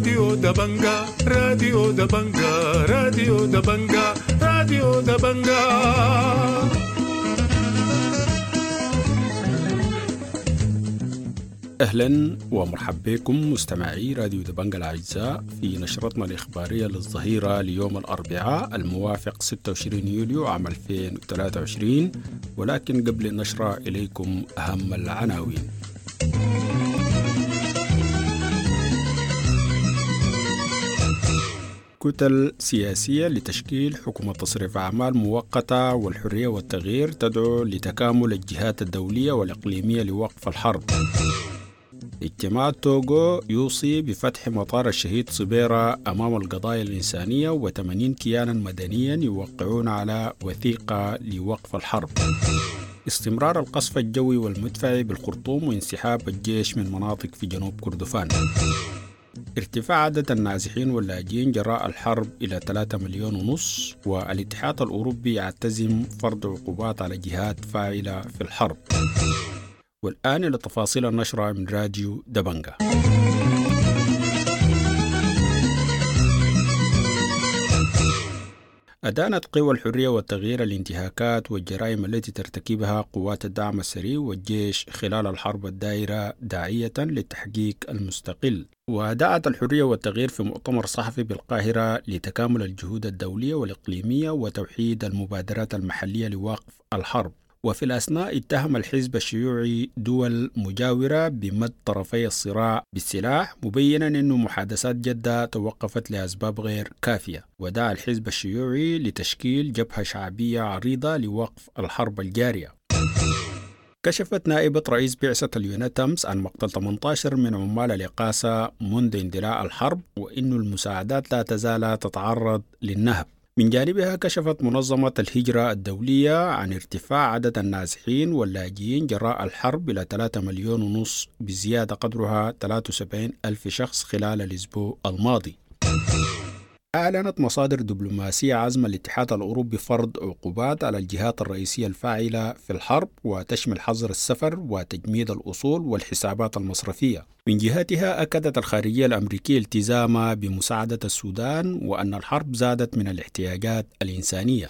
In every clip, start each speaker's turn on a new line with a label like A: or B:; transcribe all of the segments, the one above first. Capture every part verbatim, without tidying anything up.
A: راديو دبنجا، راديو دبنجا، راديو دبنجا، راديو دبنجا.
B: أهلا ومرحبا بكم مستمعي راديو دبنجا الأعزاء في نشرتنا الإخبارية للظهيرة ليوم الأربعاء الموافق ستة وعشرين يوليو عام ألفين وثلاثة وعشرين، ولكن قبل النشرة إليكم أهم العناوين. كتل سياسية لتشكيل حكومة تصريف أعمال مؤقتة والحرية والتغيير تدعو لتكامل الجهات الدولية والإقليمية لوقف الحرب. اجتماع توغو يوصي بفتح مطار الشهيد صبيرة أمام القضايا الإنسانية وثمانين كيانا مدنيا يوقعون على وثيقة لوقف الحرب. استمرار القصف الجوي والمدفعي بالخرطوم وانسحاب الجيش من مناطق في جنوب كردفان. ارتفاع عدد النازحين واللاجئين جراء الحرب إلى ثلاثة مليون ونص، والاتحاد الأوروبي يعتزم فرض عقوبات على جهات فاعلة في الحرب. والآن إلى تفاصيل النشرة من راديو دبنجا. أدانت قوى الحرية والتغيير الانتهاكات والجرائم التي ترتكبها قوات الدعم السريع والجيش خلال الحرب الدائرة داعية للتحقيق المستقل. ودعت الحرية والتغيير في مؤتمر صحفي بالقاهرة لتكامل الجهود الدولية والإقليمية وتوحيد المبادرات المحلية لوقف الحرب. وفي الأثناء اتهم الحزب الشيوعي دول مجاورة بمد طرفي الصراع بالسلاح، مبينا أن محادثات جدة توقفت لأسباب غير كافية. ودعا الحزب الشيوعي لتشكيل جبهة شعبية عريضة لوقف الحرب الجارية. كشفت نائبة رئيس بعثة اليوناتامس عن مقتل ثمانية عشر من عمال الإقاسة منذ اندلاع الحرب، وإن المساعدات لا تزال تتعرض للنهب. من جانبها كشفت منظمة الهجرة الدولية عن ارتفاع عدد النازحين واللاجئين جراء الحرب إلى ثلاثة مليون ونص، بزيادة قدرها ثلاثة وسبعين ألف شخص خلال الأسبوع الماضي. أعلنت مصادر دبلوماسية عزم الاتحاد الأوروبي فرض عقوبات على الجهات الرئيسية الفاعلة في الحرب، وتشمل حظر السفر وتجميد الأصول والحسابات المصرفية. من جهتها أكدت الخارجية الأمريكية التزامها بمساعدة السودان، وأن الحرب زادت من الاحتياجات الإنسانية.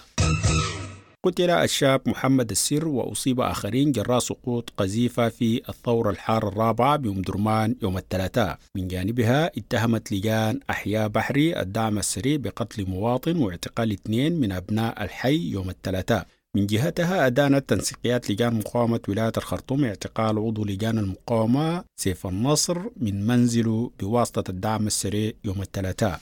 B: قتل الشاب محمد السر وأصيب آخرين جراء سقوط قذيفة في الثورة الحارة الرابعة بأم درمان يوم الثلاثاء. من جانبها اتهمت لجان أحياء بحري الدعم السريع بقتل مواطن واعتقال اثنين من أبناء الحي يوم الثلاثاء. من جهتها أدانت تنسيقيات لجان مقاومة ولاية الخرطوم اعتقال عضو لجان المقاومة سيف النصر من منزله بواسطة الدعم السريع يوم الثلاثاء.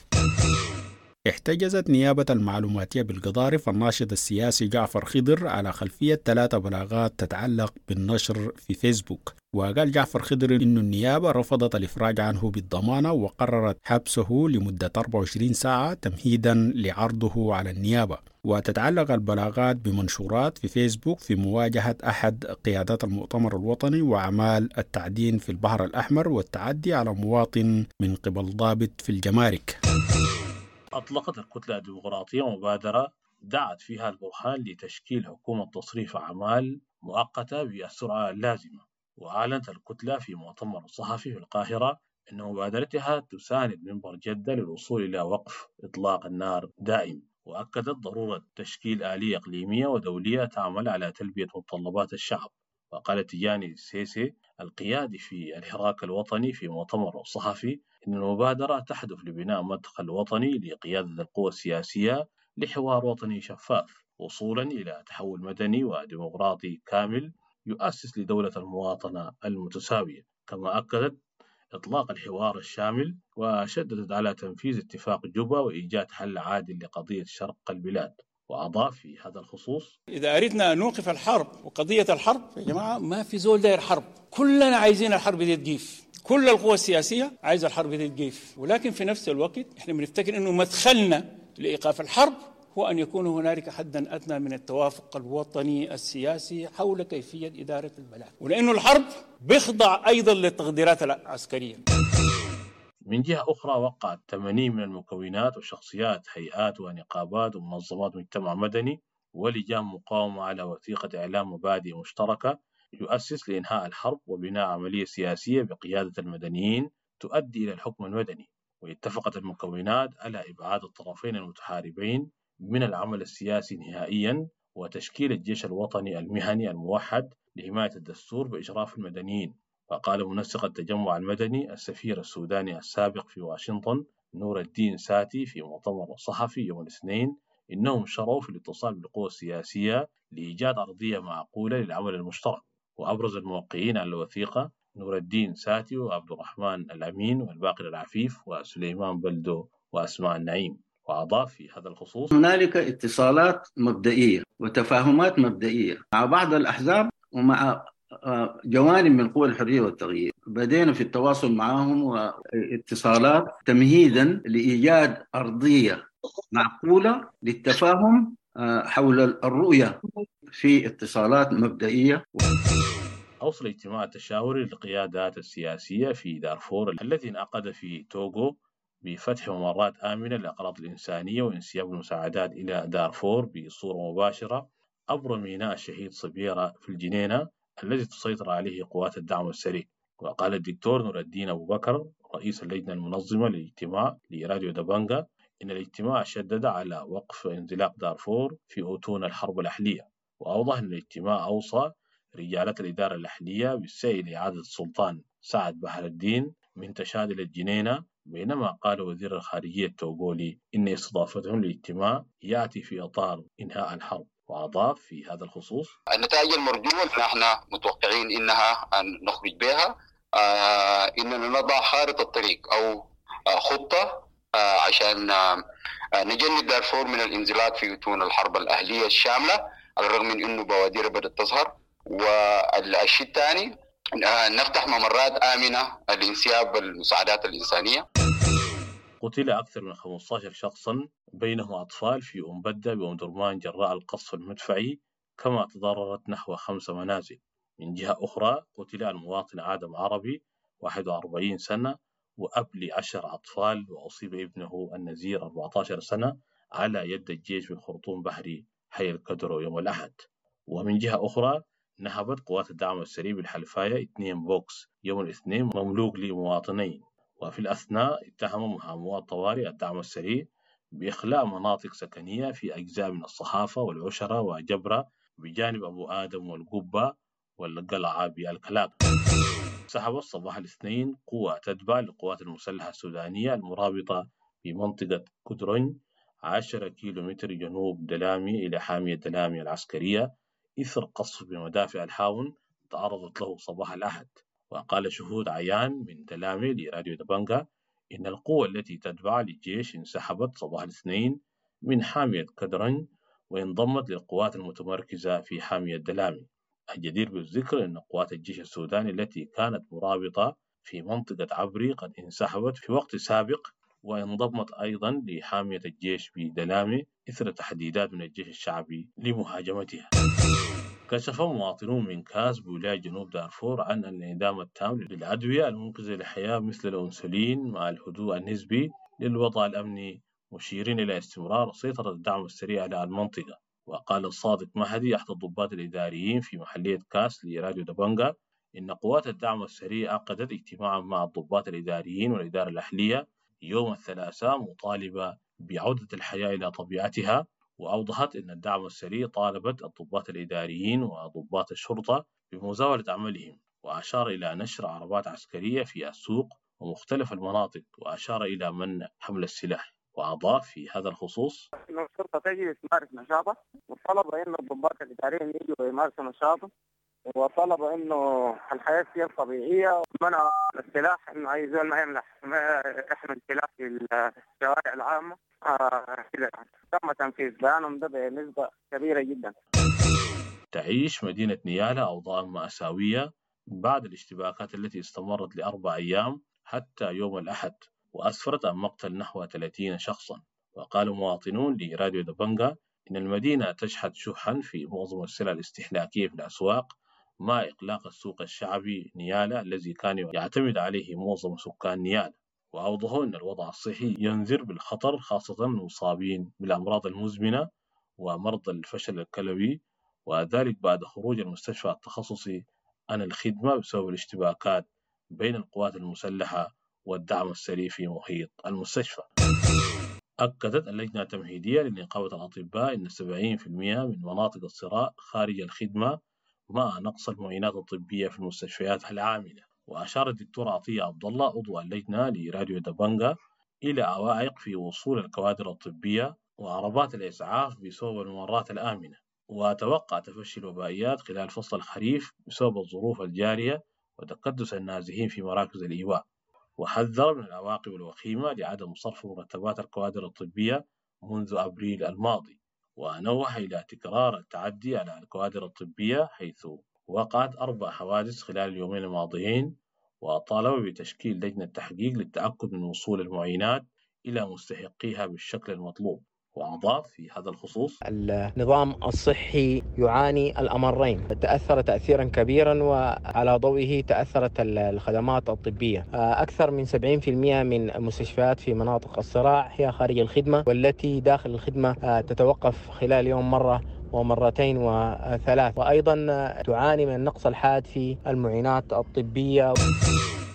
B: احتجزت نيابة المعلوماتية بالقضارف الناشط السياسي جعفر خضر على خلفية ثلاثة بلاغات تتعلق بالنشر في فيسبوك. وقال جعفر خضر إن النيابة رفضت الإفراج عنه بالضمانة وقررت حبسه لمدة أربعة وعشرين ساعة تمهيدا لعرضه على النيابة. وتتعلق البلاغات بمنشورات في فيسبوك في مواجهة أحد قيادات المؤتمر الوطني وأعمال التعدين في البحر الأحمر والتعدي على مواطن من قبل ضابط في الجمارك.
C: أطلقت الكتلة الديمقراطية مبادرة دعت فيها البرهان لتشكيل حكومة تصريف أعمال مؤقتة بالسرعة اللازمة. وأعلنت الكتلة في مؤتمر صحفي في القاهرة أن مبادرتها تساند منبر جدة للوصول إلى وقف إطلاق النار دائم، وأكدت ضرورة تشكيل آلية إقليمية ودولية تعمل على تلبية متطلبات الشعب. وقال تيجاني السيسي القيادي في الحراك الوطني في مؤتمر صحفي إن المبادرة تهدف لبناء مدخل وطني لقيادة القوى السياسية لحوار وطني شفاف، وصولا إلى تحول مدني وديمقراطي كامل يؤسس لدولة المواطنة المتساوية. كما أكدت إطلاق الحوار الشامل وشددت على تنفيذ اتفاق جوبا وإيجاد حل عادل لقضية شرق البلاد. وأضاف في هذا الخصوص:
D: إذا أردنا أن نوقف الحرب وقضية الحرب يا جماعة، ما في زول داير حرب، كلنا عايزين الحرب دي تقيف، كل القوى السياسية عايزة الحرب دي تقيف، ولكن في نفس الوقت احنا بنفتكر أنه مدخلنا لإيقاف الحرب هو أن يكون هنالك حدا أدنى من التوافق الوطني السياسي حول كيفية إدارة البلد، ولأنه الحرب بيخضع أيضا للتقديرات العسكرية.
C: من جهة أخرى وقعت ثمانين من المكونات وشخصيات هيئات ونقابات ومنظمات مجتمع مدني ولجان مقاومة على وثيقة إعلام مبادئ مشتركة يؤسس لإنهاء الحرب وبناء عملية سياسية بقيادة المدنيين تؤدي إلى الحكم المدني. واتفقت المكونات على إبعاد الطرفين المتحاربين من العمل السياسي نهائيا وتشكيل الجيش الوطني المهني الموحد لحماية الدستور بإشراف المدنيين. وقال منسق التجمع المدني السفير السوداني السابق في واشنطن نور الدين ساتي في مؤتمر صحفي يوم الاثنين إنهم شرعوا في الاتصال بالقوى السياسية لإيجاد أرضية معقولة للعمل المشترك. وأبرز الموقعين على الوثيقة نور الدين ساتي وعبد الرحمن الأمين والباقر العفيف وسليمان بلدو وأسماء النعيم. وأضاف في هذا الخصوص:
E: هنالك اتصالات مبدئية وتفاهمات مبدئية مع بعض الأحزاب ومع جوانب من قوى الحرية والتغيير، بدينا في التواصل معهم واتصالات تمهيدا لإيجاد أرضية معقولة للتفاهم حول الرؤية في اتصالات مبدئية.
C: أوصل الاجتماع التشاوري للقيادات السياسية في دارفور الذي انعقد في توغو بفتح ممرات آمنة للأغراض الإنسانية وانسياب المساعدات إلى دارفور بصورة مباشرة عبر ميناء الشهيد صبيرة في الجنينة الذي تسيطر عليه قوات الدعم السريع. وقال الدكتور نور الدين أبو بكر رئيس اللجنة المنظمة للاجتماع لراديو دبنجا إن الاجتماع شدد على وقف انزلاق دارفور في أتون الحرب الأهلية. وأوضح أن الاجتماع أوصى رجالات الإدارة الأهلية بالسعي لإعادة السلطان سعد بحر الدين من تشاد إلى الجنينة، بينما قال وزير الخارجية التوغولي إن استضافتهم للاجتماع يأتي في إطار إنهاء الحرب. وأضاف في هذا الخصوص:
F: النتائج المرجوة نحن متوقعين إنها أن نخرج بها آه إننا نضع خارطة الطريق أو آه خطة آه عشان آه نجنب دارفور من الانزلاق في أتون الحرب الأهلية الشاملة، على الرغم من أنه بوادر بدأت تظهر. والشيء الثاني آه نفتح ممرات آمنة لانسياب المساعدات الإنسانية.
C: قتل أكثر من خمسة عشر شخصا بينهم أطفال في أمبدة بأم درمان جراء القصف المدفعي، كما تضررت نحو خمس منازل. من جهة أخرى قتل المواطن آدم عربي واحد وأربعين سنة وأب لعشر أطفال، وأصيب ابنه النزير أربعة عشر سنة على يد الجيش بالخرطوم بحري حي الكدرو يوم الأحد. ومن جهة أخرى نهبت قوات الدعم السريع بالحلفاية اثنين بوكس يوم الاثنين مملوك لمواطنين. وفي الأثناء اتهم محامو الطوارئ الدعم السريع بإخلاء مناطق سكنية في أجزاء من الصحافة والعشرة وجبرة بجانب أبو آدم والقبة والقلعة بالكلاب. سحب الصباح الاثنين قوة تتبع للقوات المسلحة السودانية المرابطة بمنطقة كدرن عشرة كيلومتر جنوب دلامي إلى حامية دلامي العسكرية إثر قصف بمدافع الحاون تعرضت له صباح الأحد. وقال شهود عيان من دلامي لراديو دبنجا إن القوة التي تتبع للجيش انسحبت صباح الاثنين من حامية كدرن وانضمت للقوات المتمركزة في حامية دلامي. الجدير بالذكر أن قوات الجيش السوداني التي كانت مرابطة في منطقة عبري قد انسحبت في وقت سابق وانضمت أيضا لحامية الجيش بدلامي إثر تحديدات من الجيش الشعبي لمهاجمتها. كشف مواطنون من كاس بولاية جنوب دارفور عن الانعدام التام للأدوية المنقذة للحياة مثل الأنسولين مع الهدوء النسبي للوضع الأمني، مشيرين إلى استمرار سيطرة الدعم السريع على المنطقة. وقال الصادق مهدي أحد الضباط الإداريين في محلية كاس لراديو دبنجا إن قوات الدعم السريع عقدت اجتماعا مع الضباط الإداريين والإدارة الأهلية يوم الثلاثاء مطالبة بعودة الحياة إلى طبيعتها. وأوضحت أن الدعم السريع طالبت الضباط الإداريين وضباط الشرطة بمزاولة عملهم، وأشار إلى نشر عربات عسكرية في السوق ومختلف المناطق، وأشار إلى منع حمل السلاح. وأضاف في هذا الخصوص:
G: إن الشرطة تجي تمارس نشاطها، وطلب إنه الضباط الإداريين يجوا يمارسوا نشاطهم، وطلب إنه الحياة تصير طبيعية، ومنع السلاح، إنه أي زول ما يمنح ما يحمل سلاح في الشوارع العامة. آه كده تم تنفيذ بيانهم ده بنسبة كبيرة جدا.
C: تعيش مدينة نيالا أوضاع مأساوية بعد الاشتباكات التي استمرت لأربع أيام حتى يوم الأحد، وأسفرت عن مقتل نحو ثلاثين شخصا. وقال مواطنون لراديو دبنجا إن المدينة تشهد شحا في معظم السلع الاستهلاكية في الأسواق، مع إغلاق السوق الشعبي نيالا الذي كان يعتمد عليه معظم سكان نيالا. وأوضحوا أن الوضع الصحي ينذر بالخطر، خاصة المصابين بالأمراض المزمنة ومرضى الفشل الكلوي، وذلك بعد خروج المستشفى التخصصي عن الخدمة بسبب الاشتباكات بين القوات المسلحة والدعم السريع في محيط المستشفى. أكدت اللجنة التمهيدية لنقابة الأطباء أن سبعين بالمئة من مناطق الصراع خارج الخدمة مع نقص المعينات الطبية في المستشفيات العاملة. وأشار الدكتور عطية عبد الله عضو اللجنة لراديو دبنجا إلى عوائق في وصول الكوادر الطبية وعربات الإسعاف بسبب الممرات الآمنة، وتوقع تفشي الوبائيات خلال فصل الخريف بسبب الظروف الجارية وتكدس النازحين في مراكز الإيواء. وحذر من العواقب الوخيمة لعدم صرف مرتبات الكوادر الطبية منذ أبريل الماضي، ونوه إلى تكرار التعدي على الكوادر الطبية حيث وقعت أربع حوادث خلال اليومين الماضيين، وطالب بتشكيل لجنة تحقيق للتأكد من وصول المعينات إلى مستحقيها بالشكل المطلوب. وأضاف في هذا الخصوص:
H: النظام الصحي يعاني الأمرين، تأثر تأثيرا كبيرا وعلى ضوئه تأثرت الخدمات الطبية. أكثر من سبعين بالمئة من المستشفيات في مناطق الصراع هي خارج الخدمة، والتي داخل الخدمة تتوقف خلال يوم مرة ومرتين وثلاث، وأيضا تعاني من النقص الحاد في المعينات الطبية.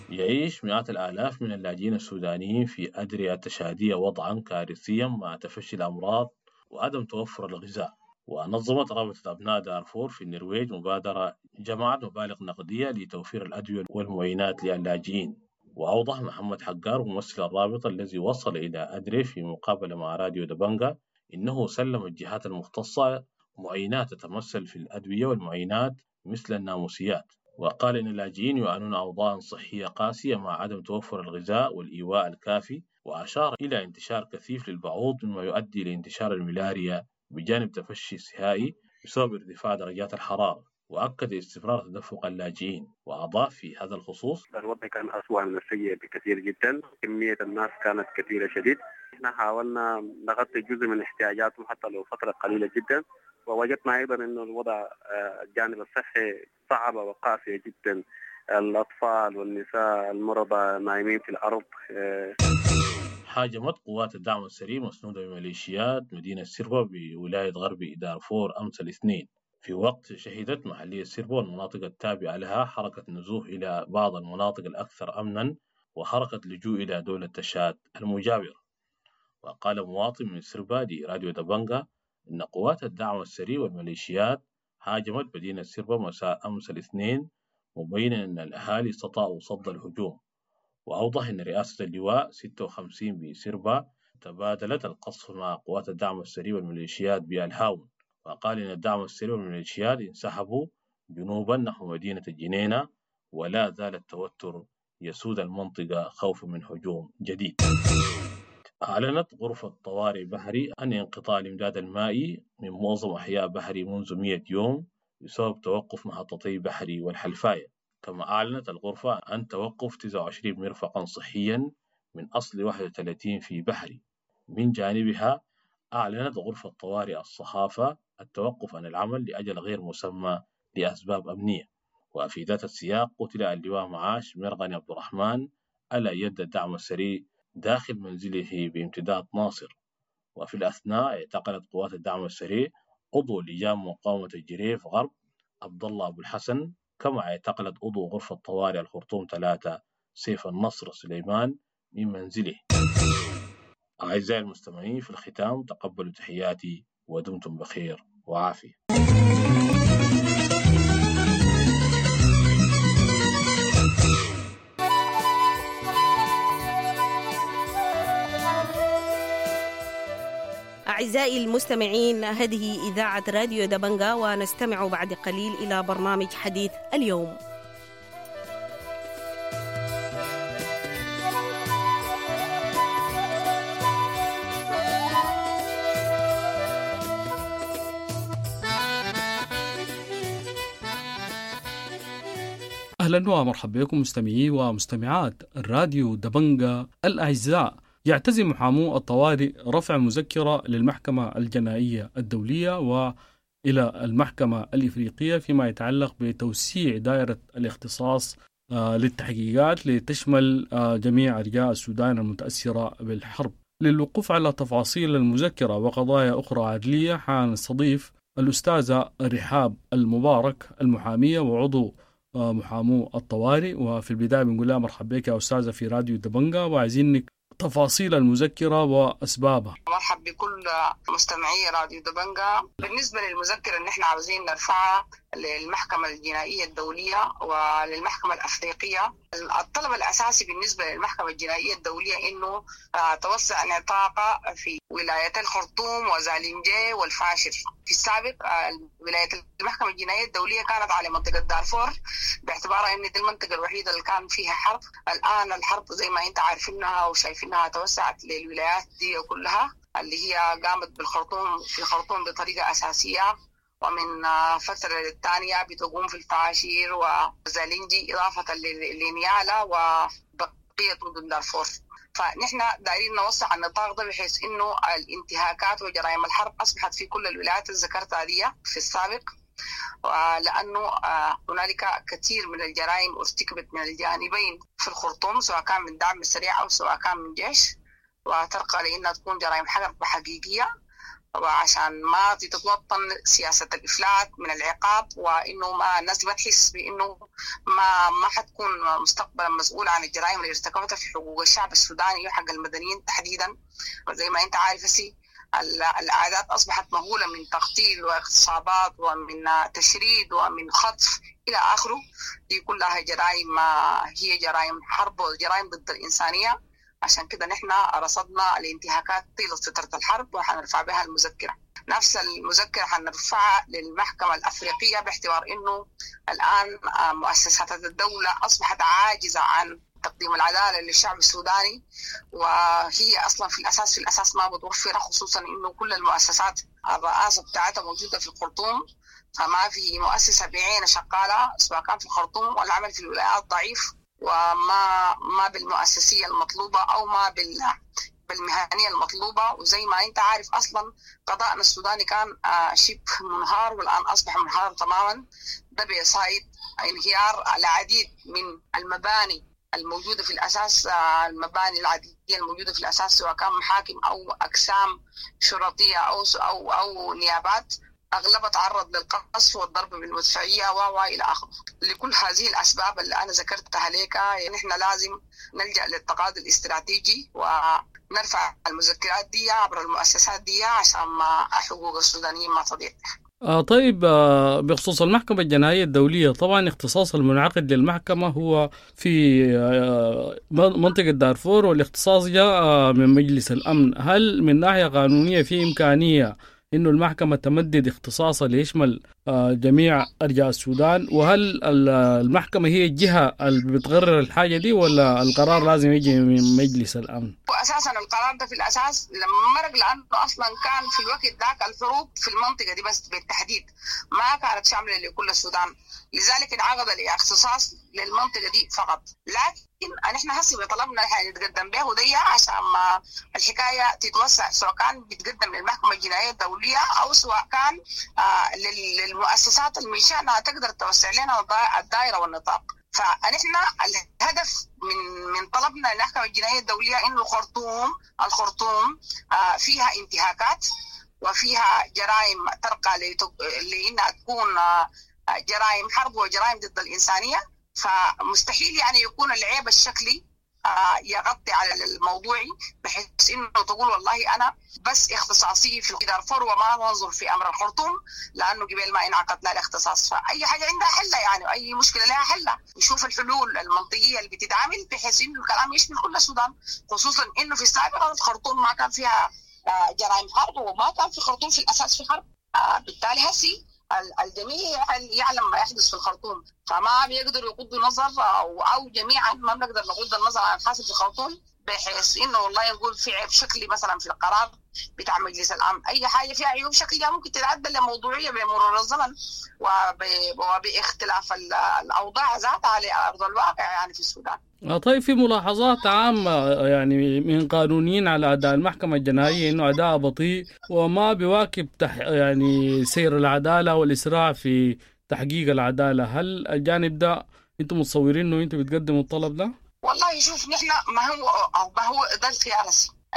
C: يعيش مئات الآلاف من اللاجئين السودانيين في أدرية تشادية وضعا كارثيا مع تفشي الأمراض وعدم توفر الغذاء. ونظمت رابطة أبناء دارفور في النرويج مبادرة جمعت مبالغ نقدية لتوفير الأدوية والمعينات للاجئين. وأوضح محمد حقار ممثل الرابطة الذي وصل إلى أدري في مقابلة مع راديو دبنجا إنه سلم الجهات المختصة معينات تتمثل في الأدوية والمعينات مثل الناموسيات. وقال إن اللاجئين يعانون أوضاعا صحية قاسية مع عدم توفر الغذاء والإيواء الكافي، وأشار إلى انتشار كثيف للبعوض مما يؤدي لانتشار الملاريا بجانب تفشي السهائي بسبب ارتفاع درجات الحرارة. وأكد استمرار تدفق اللاجئين. وأضاف في هذا الخصوص:
G: الوضع كان أسوأ من السيء بكثير جدا، كمية الناس كانت كثيرة شديد. احنا حاولنا نغطي جزء من احتياجاتهم حتى لو فترة قليلة جدا، ووجدنا أيضا أن الوضع الجانب الصحي صعب وقاسي جدا، الأطفال والنساء المرضى نايمين في الأرض.
C: هاجمت قوات الدعم السريع مسنودة بميليشيات مدينة سيربا بولاية غرب دارفور أمس الاثنين، في وقت شهدت محلية سيربا والمناطق التابعة لها حركة نزوح إلى بعض المناطق الأكثر أمنا وحركة لجوء إلى دولة تشاد المجاورة. وقال مواطن من سيربا لراديو دبنجا إن قوات الدعم السريع والميليشيات هاجمت مدينة سيربا مساء أمس الاثنين، مبينا أن الأهالي استطاعوا صد الهجوم. وأوضح أن رئاسة اللواء ستة وخمسين بسيربا تبادلت القصف مع قوات الدعم السريع والميليشيات بالهاون. وقال إن الدعم السريع والميليشيات انسحبوا جنوبا نحو مدينة الجنينة، ولا زال التوتر يسود المنطقة خوفا من هجوم جديد. أعلنت غرفة طوارئ بحري أن انقطاع الإمداد المائي من معظم أحياء بحري منذ مئة يوم بسبب توقف محطتي بحري والحلفاية. كما أعلنت الغرفة عن توقف تسعة وعشرين مرفقا صحيا من أصل واحد وثلاثين في بحري. من جانبها أعلنت غرفة طوارئ الصحافة التوقف عن العمل لأجل غير مسمى لأسباب أمنية. وفي ذات السياق قتل اللواء معاش مرغني عبد الرحمن على يد الدعم السريع داخل منزله بامتداد ناصر. وفي الأثناء اعتقلت قوات الدعم السريع عضو لجان مقاومة الجريف غرب عبد الله أبو الحسن، كما اعتقلت عضو غرفة طوارئ الخرطوم ثلاثة سيف النصر سليمان من منزله. أعزائي المستمعين، في الختام تقبلوا تحياتي ودمتم بخير وعافية.
I: أعزائي المستمعين، هذه إذاعة راديو دبنجا، ونستمع بعد قليل إلى برنامج حديث اليوم.
J: أهلا ومرحبا بكم مستمعي ومستمعات الراديو دبنجا الأعزاء. يعتزم محامو الطوارئ رفع مذكرة للمحكمة الجنائية الدولية وإلى المحكمة الإفريقية فيما يتعلق بتوسيع دائرة الاختصاص للتحقيقات لتشمل جميع أرجاء السودان المتأثرة بالحرب. للوقوف على تفاصيل المذكرة وقضايا أخرى عدلية حنستضيف الأستاذة رحاب المبارك المحامية وعضو محامو الطوارئ. وفي البداية بنقول لها مرحبا بك يا أستاذة في راديو دبنجا، وعايزينك تفاصيل المذكرة وأسبابها.
K: مرحب بكل مستمعي راديو دبنجا. بالنسبة للمذكرة اللي احنا عاوزين نرفعها للمحكمة الجنائية الدولية وللمحكمة الأفريقية، الطلب الأساسي بالنسبة للمحكمة الجنائية الدولية إنه توسع نطاقها في ولايتي الخرطوم وزالنجي والفاشر. في السابق ولاية المحكمة الجنائية الدولية كانت على منطقة دارفور باعتبارها إن دي المنطقة الوحيدة اللي كان فيها حرب. الآن الحرب زي ما أنت عارفينها وشايفينها توسعت للولايات دي كلها، اللي هي قامت بالخرطوم في الخرطوم بطريقة أساسية، ومن فترة للتانية بتقوم في الفاشير وزالنجي إضافة لنيالا وبقية مدن دارفور. فنحن دايرين نوسع النطاق ده بحيث إنه الانتهاكات وجرائم الحرب أصبحت في كل الولايات اللي ذكرتها دي في السابق، لأنه هنالك كثير من الجرائم ارتكبت من الجانبين في الخرطوم، سواء كان من دعم السريع أو سواء كان من جيش، وترقى لأنها تكون جرائم حرب حقيقية، وعشان ما تتوطن سياسة الإفلات من العقاب، وإنه ما الناس ما تحس بإنه ما ما حتكون مستقبلا مسؤولة عن الجرائم اللي ارتكبتها في حقوق الشعب السوداني وحق المدنيين تحديدا. وزي ما أنت عارف سي الأعداد أصبحت مهولة من تقتيل واغتصابات ومن تشريد ومن خطف إلى آخره. دي كلها جرائم هي جرائم حرب وجرائم ضد الإنسانية. عشان كده نحن رصدنا الانتهاكات طيلة فترة الحرب وحنرفع بها المذكرة. نفس المذكرة حنرفعها للمحكمة الأفريقية باعتبار إنه الآن مؤسسات الدولة أصبحت عاجزة عن تقديم العدالة للشعب السوداني، وهي أصلا في الأساس في الأساس ما متوفرة، خصوصا إنه كل المؤسسات الرئاسة بتاعتها موجودة في الخرطوم، فما في مؤسسة بعينة شغالة سواء كان في الخرطوم والعمل في الولايات ضعيف، وما ما بالمؤسسية المطلوبة أو ما بال بالمهنية المطلوبة. وزي ما أنت عارف أصلا قضاءنا السوداني كان شبه منهار، والآن أصبح منهار تماما. ده بيصايد انهيار العديد من المباني الموجودة في الأساس، المباني العدلية الموجودة في الأساس سواء كان محاكم أو أقسام شرطية أو أو أو نيابات، أغلبها تعرض للقصف والضرب بالمدفعية و إلى آخره. لكل هذه الأسباب اللي أنا ذكرتها لك، نحن لازم نلجأ للتقاضي الاستراتيجي ونرفع المذكرات دي عبر المؤسسات دي عشان ما حقوق السودانيين ما تضيع.
J: آه طيب، آه بخصوص المحكمة الجنائية الدولية، طبعا اختصاص المنعقد للمحكمة هو في آه منطقة دارفور، والاختصاص جاء آه من مجلس الأمن. هل من ناحية قانونية في إمكانية إنه المحكمة تمدد اختصاصها ليشمل جميع أرجاء السودان؟ وهل المحكمة هي الجهة اللي بتقرر الحاجة دي، ولا القرار لازم يجي من مجلس الأمن؟
K: وأساسا القرار ده في الأساس لما مرق، لأنه أصلا كان في الوقت ذاك الحروب في المنطقة دي بس بالتحديد ما كانت شاملة لكل السودان، لذلك انعقد الاختصاص للمنطقة دي فقط. لكن نحن هسه بطلبنا نتقدم به دي عشان ما الحكاية تتوسع، سواء كان بيتقدم للمحكمة الجنائية الدولية أو سواء كان آه للمؤسسات اللي من شأنها تقدر توسع لنا الدائرة والنطاق. فنحن الهدف من من طلبنا للمحكمة الجنائية الدولية إنه الخرطوم الخرطوم آه فيها انتهاكات وفيها جرائم ترقى لأنها تكون آه جرائم حرب وجرائم ضد الإنسانية، فمستحيل يعني يكون العيب الشكلي يغطي على الموضوعي بحيث انه تقول والله انا بس اختصاصي في دارفور وما ننظر في امر الخرطوم، لانه قبل ما انعقد لا الاختصاص. فاي حاجه عندها حله يعني، اي مشكله لها حله، نشوف الحلول المنطقيه اللي بتتعمل بحيث انه الكلام يشمل كل السودان، خصوصا انه في السابق الخرطوم ما كان فيها جرائم حرب وما كان في الخرطوم في الاساس في حرب. بالتالي هسي الجميع يعلم ما يحدث في الخرطوم، فما بيقدروا يغضوا نظر او او جميعا ما بنقدر نغض النظر عن الحاصل في الخرطوم، بحيث انه والله نقول في عيب شكلي مثلا في القرار بتاع مجلس الامن، اي حاجه فيها عيوب شكليه ممكن تتعدل لموضوعيه بمرور الزمن وب... وباختلاف الاوضاع ذاتها على ارض الواقع يعني في السودان.
J: طيب، في ملاحظات عامة يعني من قانونيين على أداء المحكمة الجنائية إنه أداء بطيء وما بيواكب تح يعني سير العدالة والإسراع في تحقيق العدالة. هل الجانب ده أنتم متصورين إنه أنتم بتقدموا الطلب ده؟
K: والله شوف، نحن ما هو ما هو ده الخيار.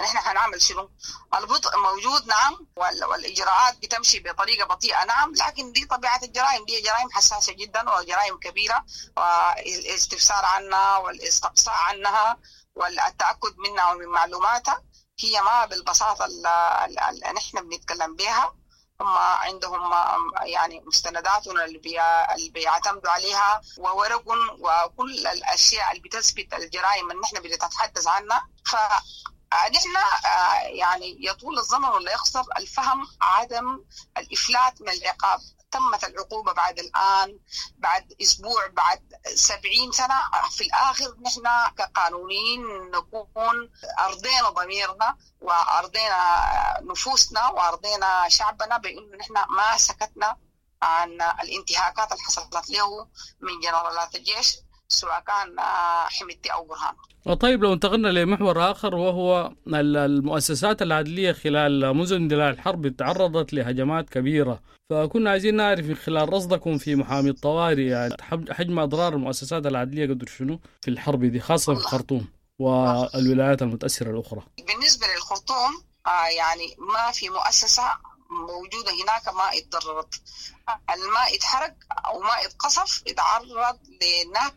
K: نحن حنعمل شنو؟ البطء موجود نعم، والإجراءات بتمشي بطريقة بطيئة نعم، لكن دي طبيعة الجرائم، دي جرائم حساسة جدا وجرائم كبيرة، والاستفسار عنها والاستقصاء عنها والتأكد منها ومن معلوماتها هي ما بالبساطة اللي نحن بنتكلم بها. هم عندهم يعني مستنداتهم اللي, بي... اللي بيعتمدوا عليها وورق وكل الأشياء اللي بتثبت الجرائم اللي نحن بنتحدث عنها. فنحن يعني يطول الزمن ولا يقصر الفهم عدم الإفلات من العقاب. تمت العقوبة بعد الآن، بعد أسبوع، بعد سبعين سنة، في الآخر نحن كقانونيين نكون أرضينا ضميرنا وأرضينا نفوسنا وأرضينا شعبنا بأنه نحن ما سكتنا عن الانتهاكات اللي حصلت له من جنرالات الجيش سواء كان حميدتي أو برهان.
J: طيب لو انتقلنا لمحور آخر وهو المؤسسات العدلية خلال منذ اندلاع الحرب تعرضت لهجمات كبيرة، فكنا عايزين نعرف من خلال رصدكم في محامي الطوارئ يعني حجم أضرار المؤسسات العدلية قدر شنو في الحرب دي خاصة في الخرطوم والولايات المتأثرة الأخرى.
K: بالنسبة للخرطوم يعني ما في مؤسسة موجودة هناك ما اتضررت، الماء اتحرق أو ما اتقصف اتعرض لنهب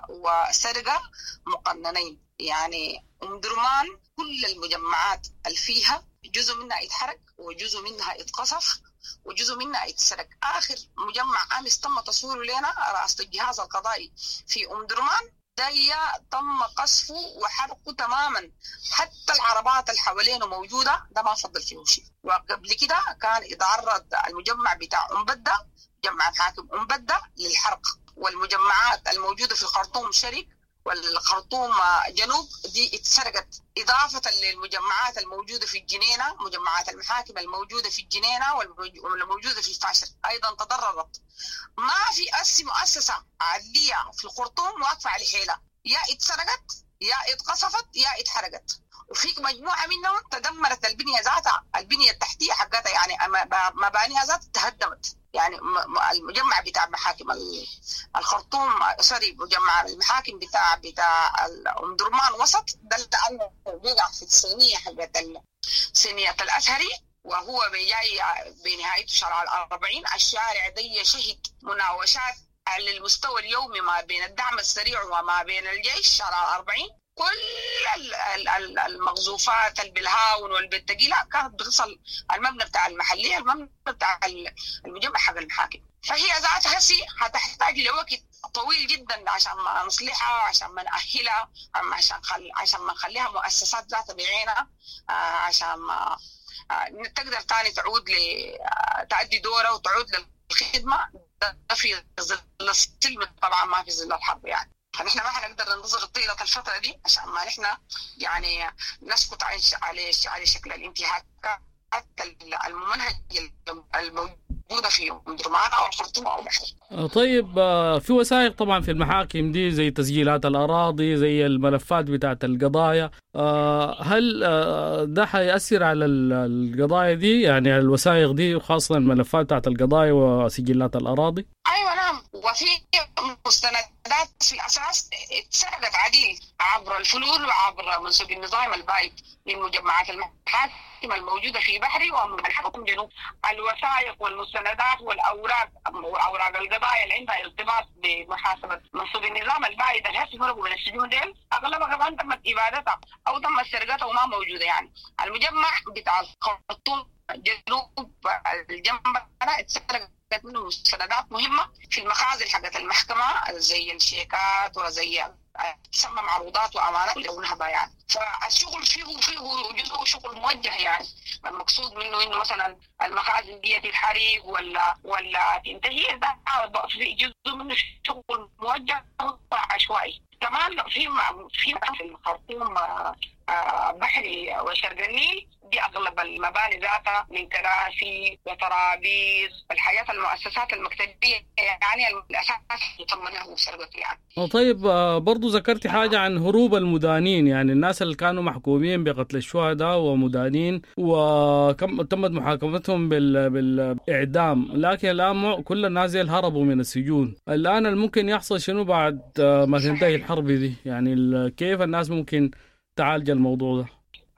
K: وسرقة مقننين. يعني أم درمان كل المجمعات اللي فيها جزء منها اتحرق وجزء منها اتقصف وجزء منها اتسرق. آخر مجمع أمس تم تصويره لنا رئاسة الجهاز القضائي في أم درمان دي تم قصفه وحرقه تماما، حتى العربات اللي حوالينه موجودة ده ما فضل فيه شيء. وقبل كده كان يتعرض المجمع بتاع أم بدة، مجمع الحاكم أم بدة للحرق، والمجمعات الموجودة في الخرطوم شرق والخرطوم جنوب دي اتسرقت، إضافة للمجمعات الموجودة في الجنينة، مجمعات المحاكم الموجودة في الجنينة والموجودة في الفاشر أيضا تضررت. ما في أس مؤسسة عدلية في الخرطوم واقفة على حيلة، يا اتسرقت يا اتقصفت يا اتحرقت. وفي مجموعة منهم تدمرت البنية ذاتها، البنية التحتية حقتها يعني مبانيها ذاتها تهدمت. يعني المجمع بتاع محاكم الخرطوم سوري مجمع المحاكم بتاع بتاع أم درمان وسط ده لأنه بيقع في الصينية حقت صينية الأزهري، وهو جاي بنهايته شارع الأربعين. الشارع دي شهد مناوشات على المستوى اليومي ما بين الدعم السريع وما بين الجيش. شارع الأربعين كل المغزوفات البلهاون والبتقيلة كانت بتصل المبنى بتاع المحلية، المبنى بتاع المجمع حق المحاكم. فهي ذاتها هسي هتحتاج لوقت طويل جدا عشان ما نصلحها، عشان ما نأهلها، عشان خل... عشان ما نخليها مؤسسات ذاتها بعينها، عشان ما تقدر تاني تعود ل تأدي دورها وتعود للخدمة. ده في ظل السلم طبعا، ما في ظل الحرب يعني. فنحن ما حنقدر ننتظر طيلة الفترة دي عشان ما نحن يعني نسكت عن على على شكل الانتهاكات الممنهج الموجودة في أم درمان أو الخرطوم أو بحري.
J: طيب في وثائق طبعا في المحاكم دي زي تسجيلات الأراضي، زي الملفات بتاعت القضايا، هل ده حيأثر على القضايا دي يعني على الوثائق دي وخاصة الملفات بتاعت القضايا وسجلات الأراضي؟
K: أيوة نعم، وفي مستندات في الأساس اتسرقت عديل عبر الفلول وعبر منسوب النظام البايد من مجمعات المحاكم الموجودة في بحري ومن جنوب. الوثائق والمستندات والأوراق وأوراق القضايا اللي عندها ارتباط بمحاسبة منسوب النظام البايد اللي هسه فرقوا من السجون ديل أغلبها كمان تمت إبادتها أو تمت سرقتها وما موجودة. يعني المجمع بتاع الخرطوم جنوب الجنب اتسرقت منه مستندات مهمة في المخازن حقت المحكمة زي الشيكات وزي تسمى معروضات وأمانات ونهبة يعني. فالشغل فيه فيه جزء شغل موجه، يعني المقصود منه إنه مثلا المخازن دي تتحرق ولا ولا تنتهي، ده في جزء منه شغل موجه عشوائي. كمان في في في الخرطوم بحري وشرق النيل دي أغلب المباني ذاتها من كراسي وترابيز الحياة المؤسسات المكتبية يعني الأساس يطمنها وسرقة يعني.
J: طيب برضو ذكرتي حاجة عن هروب المدانين، يعني الناس اللي كانوا محكومين بقتل الشهداء ومدانين وكم تمت محاكمتهم بال... بالإعدام، لكن الآن كل الناس هربوا من السجون. الآن الممكن يحصل شنو بعد ما تنتهي الحرب دي؟ يعني كيف الناس ممكن تعالج الموضوع ده؟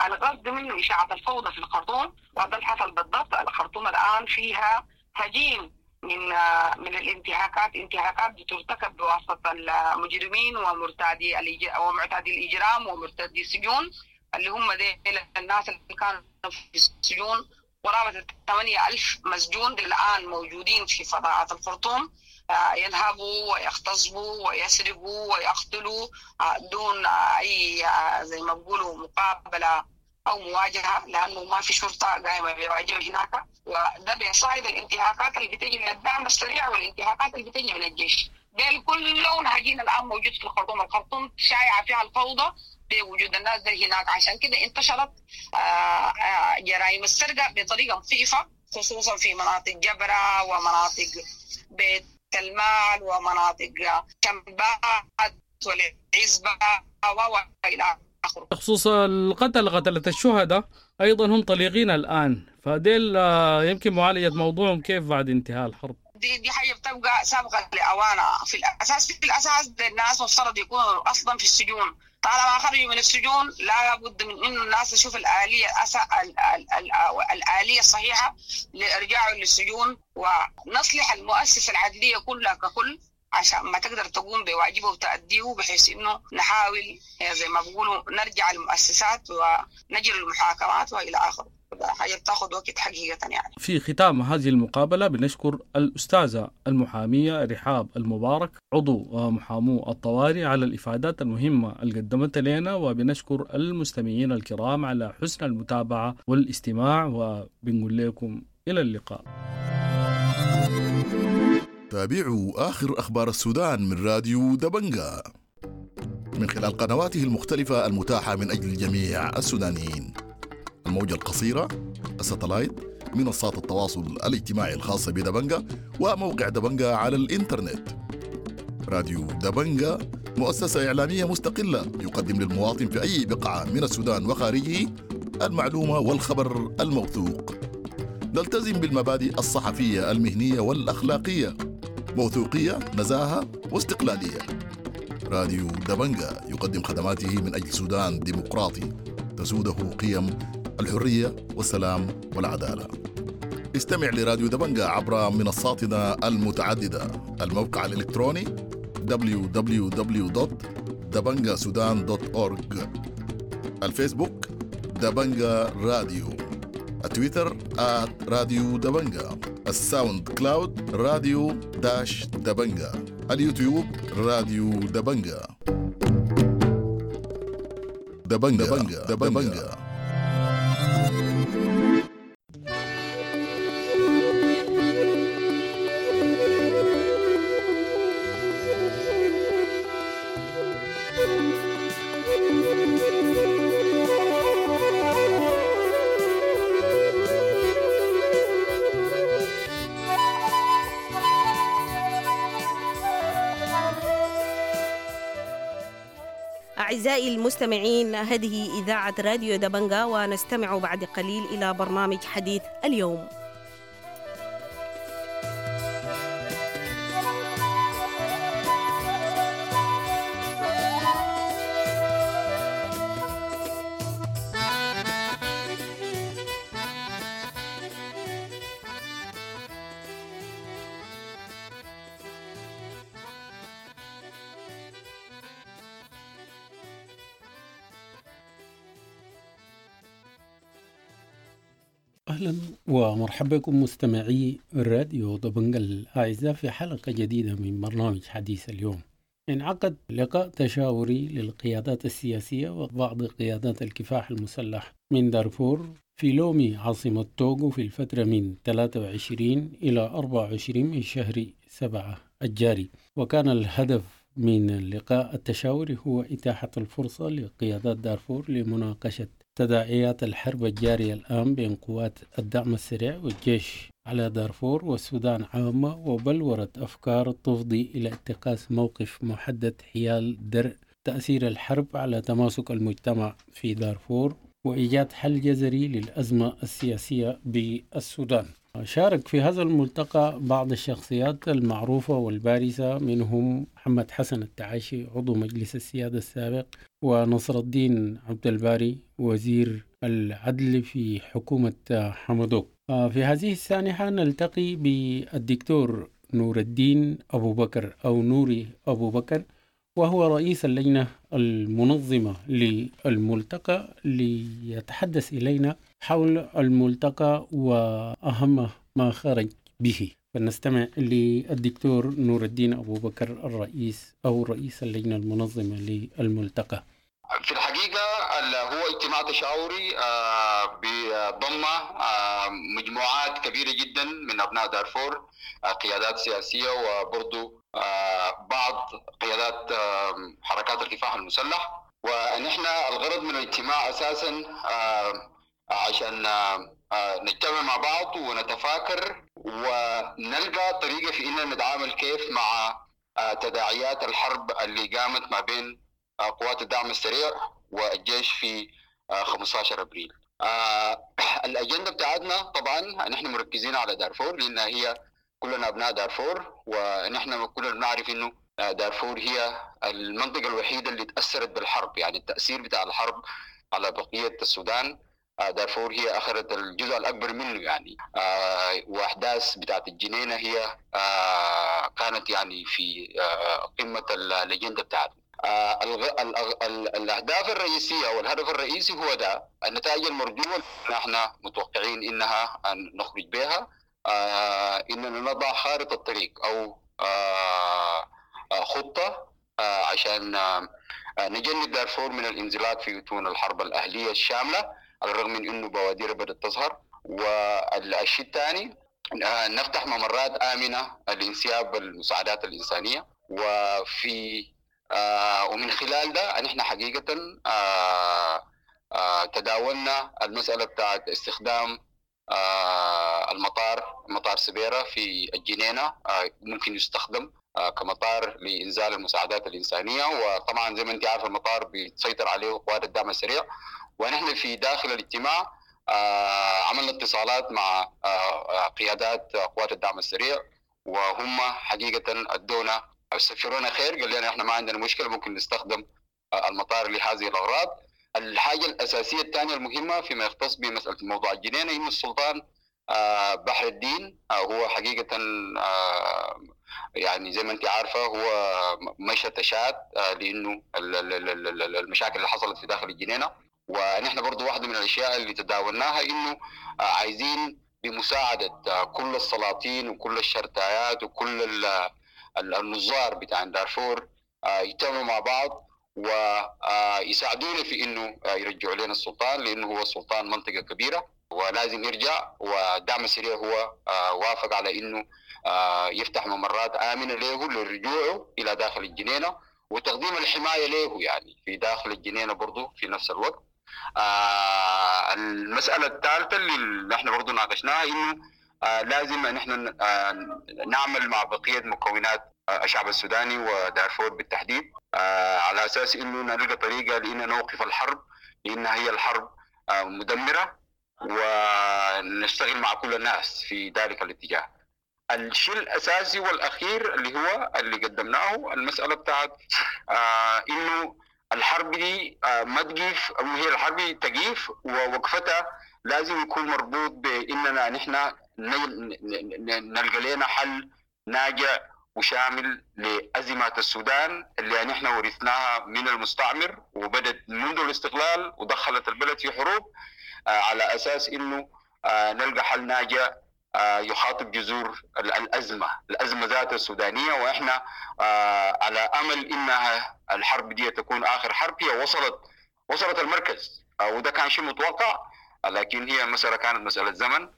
K: القصد منه إشاعة الفوضى في الخرطوم، وهذا اللي حصل بالضبط. الخرطوم الآن فيها هجين من من الانتهاكات، انتهاكات بترتكب بواسطة المجرمين ومرتادي ومعتادي الإجرام ومرتادي السجون، اللي هم ديل الناس اللي كانوا في السجون قرابة ثمانية ألف مسجون الآن موجودين في فضاءات الخرطوم، ينهبوا ويغتصبوا ويسرقوا ويقتلوا دون أي زي ما بيقولوا مقابلة أو مواجهة، لأنه ما في شرطة قائمة بواجبها هناك. وده بيصاعد الانتهاكات اللي بتجي من الدعم السريع والانتهاكات اللي بتجي من الجيش. ديل كلهم هجين الآن موجود في الخرطوم. الخرطوم شايعة فيها الفوضى بوجود الناس دي هناك، عشان كده انتشرت جرائم السرقة بطريقة مخيفة، خصوصا في مناطق جبرة ومناطق بيت المال ومناطق شمبات والعزبة وإلى آخره.
J: بخصوص القتل، قتلة الشهداء أيضا هم طليقين الآن، فديل يمكن معالجة موضوعهم كيف بعد انتهاء الحرب؟
K: دي دي حاجة بتبقى سابقة لأوانها. في الأساس في الأساس الناس مفترض يكونوا أصلا في السجون، طالما خرجوا من السجون لا بد من إنه الناس تشوف الآلية الأسا... ال... ال... ال... الآلية الصحيحة لإرجاعهم للسجون، ونصلح المؤسسة العدلية كلها ككل عشان ما تقدر تقوم بواجبه وتأديه، بحيث إنه نحاول زي ما بيقولوا نرجع المؤسسات ونجري المحاكمات وإلى آخره. حاجة بتاخد وقت حقيقة يعني.
J: في ختام هذه المقابلة بنشكر الأستاذة المحامية رحاب المبارك عضو محامو الطوارئ على الإفادات المهمة اللي قدمتها لنا، وبنشكر المستمعين الكرام على حسن المتابعة والاستماع، وبنقول لكم إلى اللقاء.
A: تابعوا آخر أخبار السودان من راديو دبنجا من خلال قنواته المختلفة المتاحة من أجل جميع السودانيين، الموجة القصيرة، الستلايت، منصات التواصل الاجتماعي الخاصة بدبنجا، وموقع دبنجا على الإنترنت. راديو دبنجا مؤسسة إعلامية مستقلة يقدم للمواطن في أي بقعة من السودان وخارجه المعلومة والخبر الموثوق. نلتزم بالمبادئ الصحفية المهنية والأخلاقية، موثوقية، نزاهة واستقلالية. راديو دبنجا يقدم خدماته من أجل سودان ديمقراطي تسوده قيم الحرية والسلام والعدالة. استمع لراديو دبنجا عبر منصاتنا المتعددة: الموقع الإلكتروني دبليو دبليو دبليو دوت دبنجا سودان دوت أورج، الفيسبوك دبنجا راديو، التويتر آت راديو دبنجا، الساوند كلاود راديو dash دبنجا، اليوتيوب راديو دبنجا. دبنجا دبنجا دبنجا.
I: أعزائي المستمعين، هذه إذاعة راديو دبنجا، ونستمع بعد قليل إلى برنامج حديث اليوم.
L: أهلا ومرحبا بكم مستمعي راديو دبنجا الأعزاء في حلقة جديدة من برنامج حديث اليوم. انعقد لقاء تشاوري للقيادات السياسية وبعض قيادات الكفاح المسلح من دارفور في لومي عاصمة توغو في الفترة من ثلاثة وعشرين إلى أربعة وعشرين من شهر سبعة الجاري، وكان الهدف من اللقاء التشاوري هو إتاحة الفرصة لقيادات دارفور لمناقشة تداعيات الحرب الجارية الآن بين قوات الدعم السريع والجيش على دارفور والسودان عامة، وبلورة أفكار تفضي إلى اتخاذ موقف محدد حيال درء تأثير الحرب على تماسك المجتمع في دارفور وإيجاد حل جذري للأزمة السياسية بالسودان. شارك في هذا الملتقى بعض الشخصيات المعروفة والبارزة، منهم محمد حسن التعايشي عضو مجلس السيادة السابق، ونصر الدين عبد الباري وزير العدل في حكومة حمدوك. في هذه السانحة نلتقي بالدكتور نور الدين أبو بكر أو نوري أبو بكر، وهو رئيس اللجنة المنظمة للملتقى، ليتحدث إلينا حول الملتقى وأهم ما خرج به. فنستمع للدكتور نور الدين أبو بكر الرئيس أو رئيس اللجنة المنظمة للملتقى.
F: في الحقيقة هو اجتماع تشاوري بضم مجموعات كبيرة جدا من أبناء دارفور، قيادات سياسية وبرضو بعض قيادات حركات الكفاح المسلح. ونحن الغرض من الاجتماع أساسا عشان نجتمع مع بعض ونتفاكر ونلقى طريقة في إننا نتعامل كيف مع تداعيات الحرب اللي قامت ما بين قوات الدعم السريع والجيش في خمسة عشر أبريل. الأجندة بتاعتنا طبعا نحن مركزين على دارفور، لأنها هي كلنا أبناء دارفور، ونحن كلنا بنعرف إنه دارفور هي المنطقة الوحيدة اللي تأثرت بالحرب، يعني التأثير بتاع الحرب على بقية السودان دارفور هي أخذت الجزء الأكبر منه يعني. وأحداث بتاعت الجنينة هي كانت يعني في قمة الأجندة بتاعتنا. الأهداف الرئيسية والهدف الرئيسي هو ده، النتائج المرجوة نحن متوقعين إنها أن نخرج بها، إننا نضع خارطة الطريق أو خطة عشان نجنب دارفور من الانزلاق في أتون الحرب الأهلية الشاملة، على الرغم من إنه بوادر بدأت تظهر. والشيء الثاني نفتح ممرات آمنة لانسياب المساعدات الإنسانية، وفي آه ومن خلال ده نحن حقيقة آه آه تداولنا المسألة بتاعت استخدام آه المطار، مطار سبيرة في الجنينة، آه ممكن يستخدم آه كمطار لإنزال المساعدات الإنسانية. وطبعا زي ما انت عارف المطار بيسيطر عليه قوات الدعم السريع، ونحن في داخل الاجتماع آه عملنا اتصالات مع آه قيادات قوات الدعم السريع، وهم حقيقة أدونا استبشرونا خير، قال لنا احنا ما عندنا مشكله، ممكن نستخدم المطار لهذه الاغراض. الحاجه الاساسيه الثانيه المهمه فيما يختص بمساله موضوع الجنينه، ان السلطان بحر الدين هو حقيقه يعني زي ما انت عارفه هو مشى تشاد لانه المشاكل اللي حصلت في داخل الجنينه. ونحن برضو واحده من الاشياء اللي تداولناها انه عايزين بمساعده كل السلاطين وكل الشرطيات وكل النظار بتاع دارفور يجتمعوا مع بعض ويساعدونا في انه يرجعوا لنا السلطان، لانه هو السلطان منطقه كبيره ولازم يرجع. والدعم السريع هو وافق على انه يفتح ممرات امنه له لرجوعه الى داخل الجنينه وتقديم الحمايه له يعني في داخل الجنينه برضه في نفس الوقت. المساله الثالثه اللي نحن برضه ناقشناها انه آه لازم ان احنا آه نعمل مع بقيه مكونات آه الشعب السوداني ودارفور بالتحديد، آه على اساس انه نلقى طريقه لان نوقف الحرب، لان هي الحرب آه مدمره، ونشتغل مع كل الناس في ذلك الاتجاه. الشيء الاساسي والاخير اللي هو اللي قدمناه المساله بتاعت آه انه الحرب دي آه ما تقيف، او هي الحرب تقيف ووقفتها لازم يكون مربوط باننا نحن نلقى لنا حل ناجع وشامل لأزمات السودان اللي نحن ورثناها من المستعمر وبدت منذ الاستقلال ودخلت البلد في حروب، على أساس إنه نلقى حل ناجع يخاطب جذور الأزمة، الأزمة ذات السودانية. وإحنا على أمل إنها الحرب دي تكون آخر حرب، هي وصلت وصلت المركز وده كان شيء متوقع، لكن هي المسألة كانت مسألة زمن.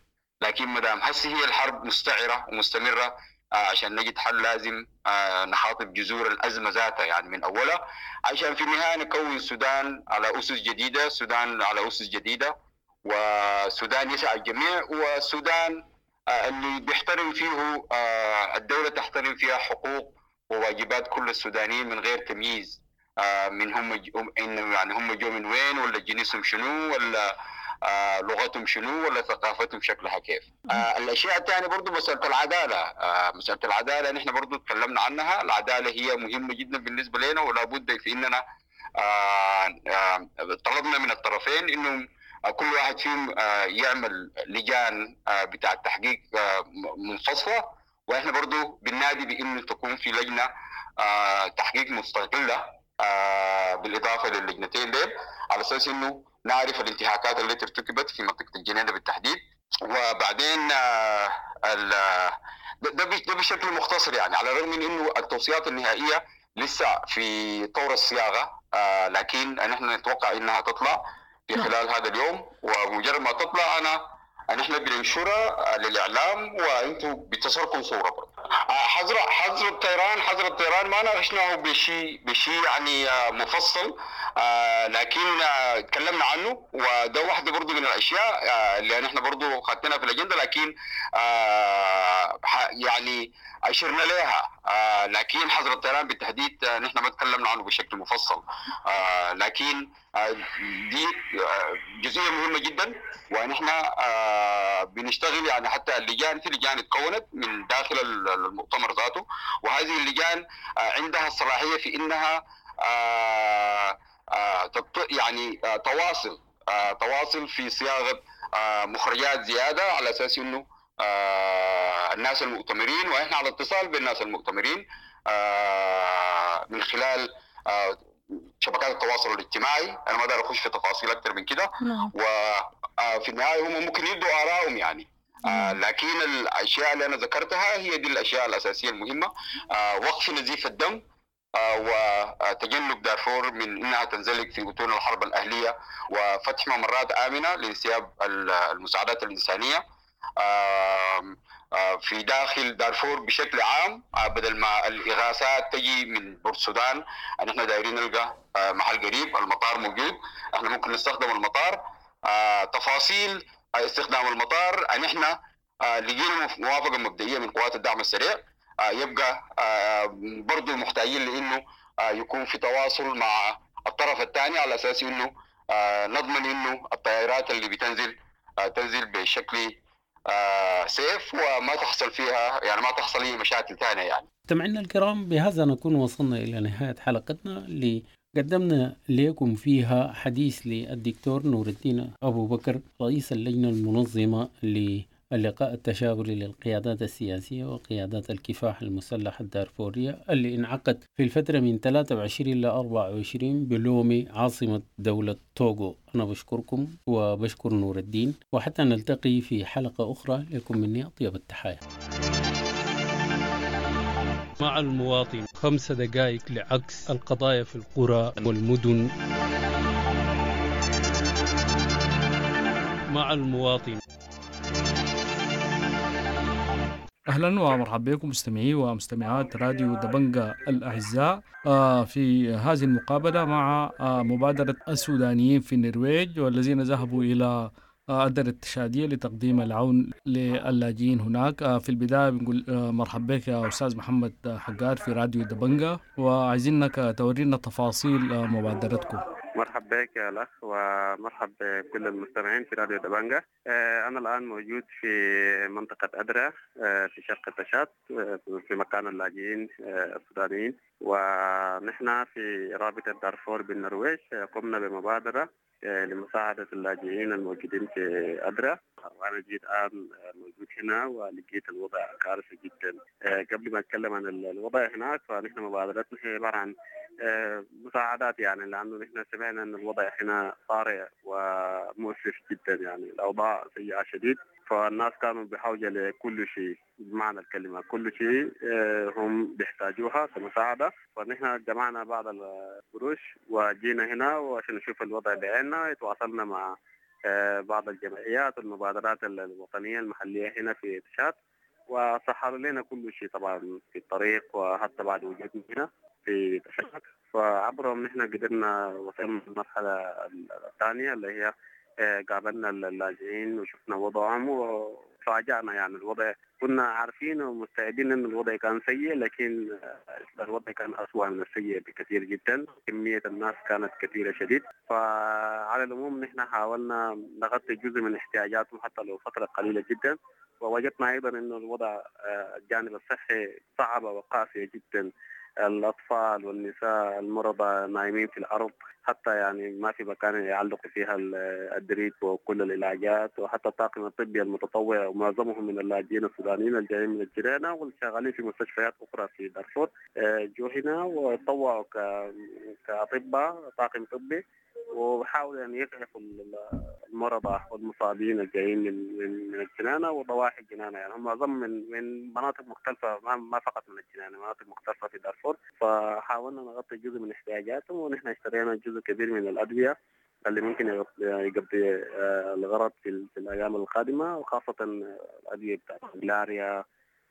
F: لكن مدام هسه هي الحرب مستعرة ومستمرة، عشان نجد حل لازم نخاطب جذور الأزمة ذاتها يعني من أولها، عشان في النهاية نكون السودان على أسس جديدة، السودان على أسس جديدة، والسودان يسع الجميع، والسودان اللي بيحترم فيه الدولة تحترم فيها حقوق وواجبات كل السودانيين من غير تمييز من هم يعني هم جو من وين، ولا جنسهم شنو، ولا آه لغتهم شنو، ولا ثقافتهم شكلها كيف. آه الاشياء الثانيه برضو مساله العداله، آه مساله العداله نحن برضو تكلمنا عنها. العداله هي مهمه جدا بالنسبه لنا، ولا بد في اننا آه آه طلبنا من الطرفين انهم كل واحد فيهم يعمل لجان بتاع التحقيق منفصلة، واحنا برضو بننادي بانه تكون في لجنة تحقيق مستقلة بالاضافة للجنتين ديل، على اساس انه نعرف الانتهاكات التي ارتكبت في منطقة الجنينة بالتحديد. وبعدين ده ده بشكل مختصر يعني، على الرغم من انه التوصيات النهائية لسه في طور الصياغة، لكن نحن نتوقع انها تطلع في خلال هذا اليوم، ومجرد ما تطلع انا نحن بننشرها للاعلام وانتم بتصلكم صوره برضه. حظر حظر الطيران حظر الطيران ما ناقشناه بشيء بشيء يعني مفصل، لكن تكلمنا عنه، وده واحدة برضه من الاشياء اللي نحن برضه خدناها في الاجندة، لكن يعني اشرنا لها، لكن حظر الطيران بالتحديد نحن ما تكلمنا عنه بشكل مفصل، لكن دي جزئية مهمة جدا، ونحن بنشتغل يعني حتى اللجان، في لجان تكونت من داخل المؤتمر ذاته، وهذه اللجان عندها الصلاحية في انها يعني تواصل تواصل في صياغة مخرجات زيادة، على اساس انه الناس المؤتمرين، واحنا على اتصال بالناس المؤتمرين من خلال شبكات التواصل الاجتماعي. انا ما اقدر اخش في تفاصيل اكثر من كده، وفي النهاية هم ممكن يدوا ارائهم يعني، لكن الاشياء اللي انا ذكرتها هي دي الاشياء الاساسية المهمة: وقف نزيف الدم، وتجنب دارفور من انها تنزلق في بطون الحرب الاهلية، وفتح ممرات امنه لانسياب المساعدات الانسانية في داخل دارفور بشكل عام، بدل ما الإغاثات تجي من بورتسودان. نحن دايرين نلقى محل قريب، المطار موجود، احنا ممكن نستخدم المطار. تفاصيل استخدام المطار نحن لقينا موافقة مبدئية من قوات الدعم السريع، يبقى برضو محتاجين لأنه يكون في تواصل مع الطرف الثاني، على أساس أنه نضمن أنه الطائرات اللي بتنزل تنزل بشكل آه سيف، وما تحصل فيها يعني ما تحصل اي مشاكل ثانية يعني.
L: مستمعينا الكرام، بهذا نكون وصلنا الى نهاية حلقتنا اللي قدمنا لكم فيها حديث للدكتور نور الدين ابو بكر، رئيس اللجنة المنظمة للقاء التشاوري للقيادات السياسية وقيادات الكفاح المسلح الدارفورية، اللي انعقد في الفترة من ثلاثة وعشرين إلى أربعة وعشرين بلومي عاصمة دولة توغو. أنا بشكركم وبشكر نور الدين، وحتى نلتقي في حلقة أخرى، لكم مني أطيب التحايا.
J: مع المواطن، خمس دقائق لعكس القضايا في القرى والمدن. مع المواطن. أهلا ومرحبا بكم مستمعي ومستمعات راديو دبنجا الأعزاء في هذه المقابلة مع مبادرة السودانيين في النرويج، والذين ذهبوا إلى أدر التشادية لتقديم العون للاجئين هناك. في البداية بنقول مرحبا بك يا أستاذ محمد حقار في راديو دبنجا، وعايزينك تورينا تفاصيل مبادرتكم.
G: مرحبا بك يا الأخ، ومرحب بكل المستمعين في راديو دبنجا. أنا الآن موجود في منطقة أدرا في شرق تشاد، في مكان اللاجئين السودانيين، ونحن في رابطة دارفور بالنرويج قمنا بمبادرة لمساعدة اللاجئين الموجودين في أدرا. وأنا جيت الآن موجود هنا ولقيت الوضع كارثي جدا. قبل ما أتكلم عن الوضع هناك، فنحن مبادرتنا هي عبارة عن مساعدات، يعني لأنه نحن سمعنا أن الوضع هنا طارئ ومؤسف جدا، يعني الأوضاع سيئة شديد، فالناس كانوا بحاجة لكل شيء بمعنى الكلمة، كل شيء هم بيحتاجوها كمساعدة. فنحن جمعنا بعض القروش وجينا هنا وعشان نشوف الوضع بعيننا. تواصلنا مع بعض الجمعيات والمبادرات الوطنية المحلية هنا في تشاد، وسهلوا لنا كل شيء طبعا في الطريق وحتى بعد وجودنا هنا في تشاد. فعبرهم نحن قدرنا وصلنا للمرحلة الثانية اللي هي قابلنا اللاجئين وشفنا وضعهم وتفاجأنا. يعني الوضع كنا عارفين ومستعدين ان الوضع كان سيء، لكن الوضع كان أسوأ من السيء بكثير جدا. كمية الناس كانت كثيرة شديد. فعلى العموم نحن حاولنا نغطي جزء من احتياجاتهم حتى لو فترة قليلة جدا. ووجدنا أيضا أن الوضع الجانب الصحي صعب وقاسي جدا.
M: الأطفال والنساء المرضى نايمين في الأرض، حتى يعني ما في مكان يعلقوا فيها الدريب وكل العلاجات. وحتى الطاقم الطبي المتطوع ومعظمهم من اللاجئين السودانيين الجايين من الجيرانة والشغالين في مستشفيات أخرى في دارفور جو هنا وتطوعوا كأطباء طاقم طبي، وحاولوا أن يسعفوا المرضى والمصابين الجايين من من من الجنانة وضواحي الجنانة. يعني هم معظم من من مناطق مختلفة، ما فقط من الجنانة، مناطق مختلفة في دارفور. فحاولنا نغطي جزء من احتياجاتهم، ونحن اشترينا جزء كبير من الأدوية اللي ممكن يقضي الغرض في, في الأيام القادمة، وخاصة الأدوية بتاعت الملاريا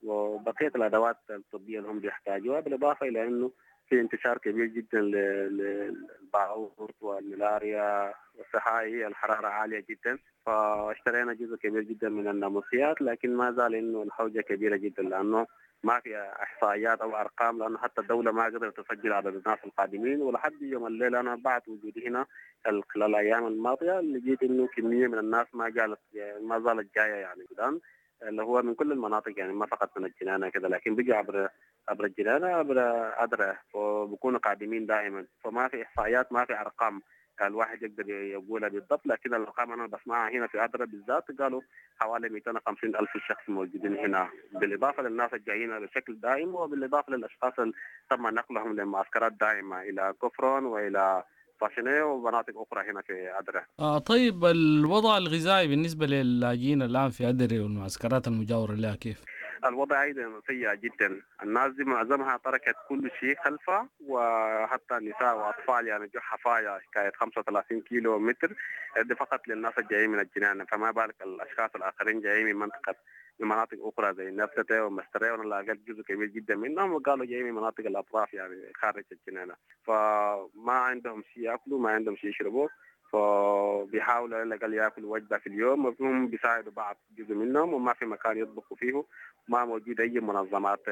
M: وبقية الأدوات الطبية اللي هم بيحتاجوها، بالإضافة إلى أنه في انتشار كبير جدا للبعوض والملاريا والسحائي، الحرارة عالية جدا، فاشترينا جزء كبير جدا من الناموسيات. لكن ما زال انه الحوجة كبيرة جدا، لانه ما في احصائيات او ارقام، لانه حتى الدولة ما قدرت تسجل عدد الناس القادمين. ولحد يوم الليل انا بعد وجودي هنا خلال الايام الماضية لقيت انه كمية من الناس ما جالت ما زالت جاية يعني السودان، اللي هو من كل المناطق، يعني ما فقط من الجنانة كذا، لكن بيجي عبر عبر الجنانة عبر أدرة، وبكونوا قادمين دائما. فما في إحصائيات، ما في أرقام الواحد يقدر يقولها بالضبط، لكن الأرقام أنا بسمعها هنا في أدرة بالذات قالوا حوالي مئتين وخمسين ألف شخص موجودين هنا، بالإضافة للناس الجايين بشكل دائم، وبالإضافة للأشخاص اللي تم نقلهم لمعسكرات دائمة إلى كفرون وإلى فاشنيه ومناطق أخرى هنا في أدرة.
J: آه طيب، الوضع الغذائي بالنسبة للاجئين الآن في أدرة والمعسكرات المجاورة لها كيف؟
M: الوضع أيضا سيء جدا. الناس دي معظمها تركت كل شيء خلفها، وحتى النساء وأطفال يعني جو حفايا حكاية خمسة وثلاثين كيلو متر دي فقط للناس الجايين من الجنان، فما بالك الأشخاص الآخرين جايين من منطقة من مناطق أخرى زي نفتة ومسترية، وأنا لقيت جزء كبير جدا منهم وقالوا جايين من مناطق الأطراف يعني خارج الجنانة، فما عندهم شيء يأكلوا، ما عندهم شيء يشربوا، فبيحاولوا على الأقل يأكلوا وجبة في اليوم، وهم بيساعدوا بعض جزء منهم، وما في مكان يطبخوا فيه، ما موجود أي منظمات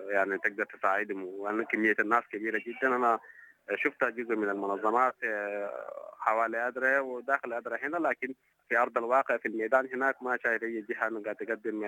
M: يعني تقدر تساعدهم، وأن كمية الناس كبيرة جدا. أنا شفت جزء من المنظمات حوالي أدرة وداخل أدرة هنا، لكن في أرض الواقع في الميدان هناك ما شايف أي جهة قاعدة تقدم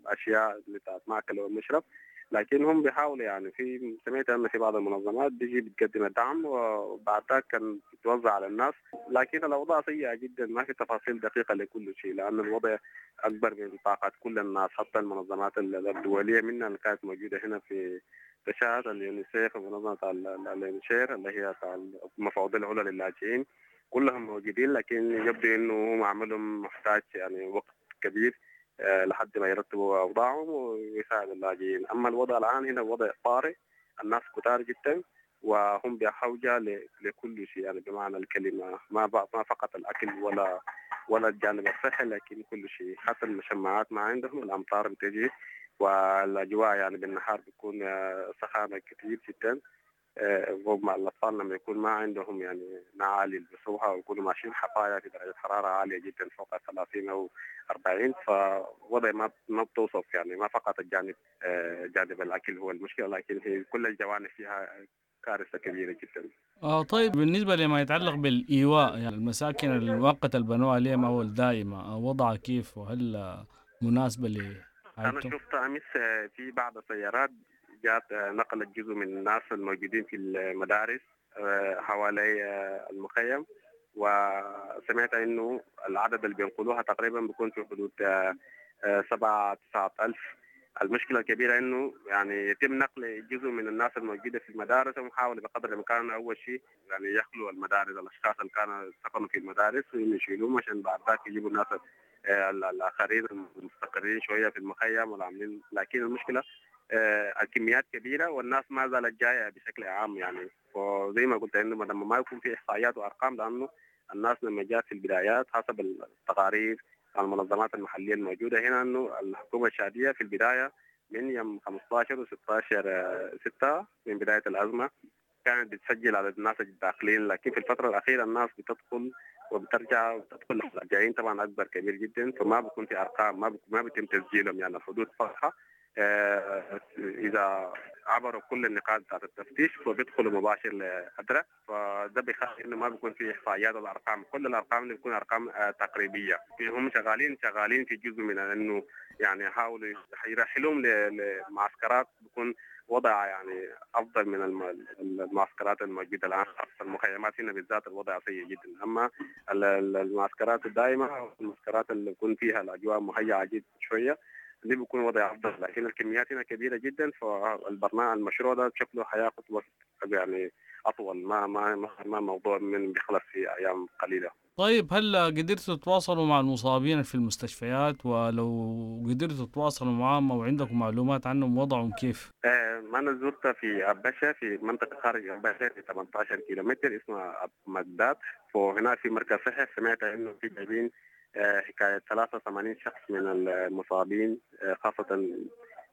M: أشياء بتاعت مأكل ومشرب، لكن هم بيحاولوا يعني. في سمعت أن في بعض المنظمات بيجي بتقدم الدعم وبعد ذاك كان بتوزع على الناس، لكن الأوضاع سيئة جدا، ما في تفاصيل دقيقة لكل شيء، لأن الوضع أكبر من طاقة كل الناس، حتى المنظمات الدولية منها اللي كانت موجودة هنا في تشاد، اليونيسيف ومنظمة اليونيشير اللي هي المفوضية العليا للاجئين، كلهم موجودين، لكن يبدو انه هم عملهم محتاج يعني وقت كبير لحد ما يرتبوا اوضاعهم ويساعدوا اللاجئين. اما الوضع الان هنا وضع طارئ، الناس كتار جدا وهم بحوجه لكل شيء يعني بمعنى الكلمه، ما ما فقط الاكل ولا ولا الجانب الصحي، لكن كل شيء، حتى المشمعات ما عندهم، الامطار بتجي والاجواء يعني بالنهار بيكون سخانه كثير جدا، ومع الأطفال لما يكون ما عندهم يعني نعال يلبسوها ويكونوا ماشيين حفايا في درجة حرارة عالية جدا فوق ثلاثين أو أربعين، فوضع ما ما بتوصف يعني. ما فقط الجانب جانب الأكل هو المشكلة، لكن هي كل الجوانب فيها كارثة كبيرة جدا.
J: آه طيب، بالنسبة لما يتعلق بالإيواء، يعني المساكن المؤقتة اللي بنوها لهم أو الدائمة، وضعها كيف وهل مناسبة ل؟
M: أنا شفت أمس في بعض السيارات جات نقلت جزء من الناس الموجودين في المدارس حوالي المخيم، وسمعت انه العدد اللي بينقلوها تقريبا بيكون في حدود سبعة تسعة ألف. المشكلة الكبيرة انه يعني يتم نقل جزء من الناس الموجودة في المدارس، ومحاولة بقدر الامكان اول شيء يعني يخلوا المدارس، الاشخاص اللي كانوا سكنوا في المدارس ويشيلوهم عشان بعد ذاك يجيبوا الناس الاخرين المستقرين شوية في المخيم والعاملين. لكن المشكلة الكميات كبيرة والناس ما زالت جاية بشكل عام يعني. وزي ما قلت انه لما ما يكون في احصائيات وارقام، لانه الناس لما جات في البدايات حسب التقارير المنظمات المحلية الموجودة هنا انه الحكومة الشعبية في البداية من يوم خمسة عشر وستة عشر ستة من بداية الأزمة كانت بتسجل عدد الناس الداخلين، لكن في الفترة الأخيرة الناس بتدخل وبترجع وبتدخل الجايين طبعا أكبر كبير جدا، فما بيكون في أرقام، ما ما بيتم تسجيلهم يعني. الحدود فاتحة، إذا عبروا كل النقاط بتاعت التفتيش فبيدخلوا مباشر لأدرة، فده بيخلي إنه ما بيكون في إحصائيات الأرقام، كل الأرقام اللي بتكون أرقام تقريبية. هم شغالين شغالين في جزء من إنه يعني يحاولوا يرحلوهم لمعسكرات بيكون وضع يعني افضل من المعسكرات الموجودة الان. المخيمات هنا بالذات الوضع سيء جدا، اما المعسكرات الدائمة المعسكرات اللي بيكون فيها الاجواء مهيئة جدا شوية دي بيكون وضع افضل، لكن الكميات هنا كبيرة جدا، فالبرنامج المشروع ده شكله حياخذ وقت يعني اطول، ما ما ما موضوع من بيخلص في ايام قليله.
J: طيب هل قدرتوا تتواصلوا مع المصابين في المستشفيات؟ ولو قدرتوا تتواصلوا معهم او عندكم معلومات عنهم وضعهم كيف؟
M: آه انا زرت في أبشة، في منطقة خارج أبشة في ثمانية عشر كيلومتر اسمها مقداد، وهناك في مركز صحي سمعت انه في جايبين آه حكاية ثلاثة وثمانين شخص من المصابين، آه خاصة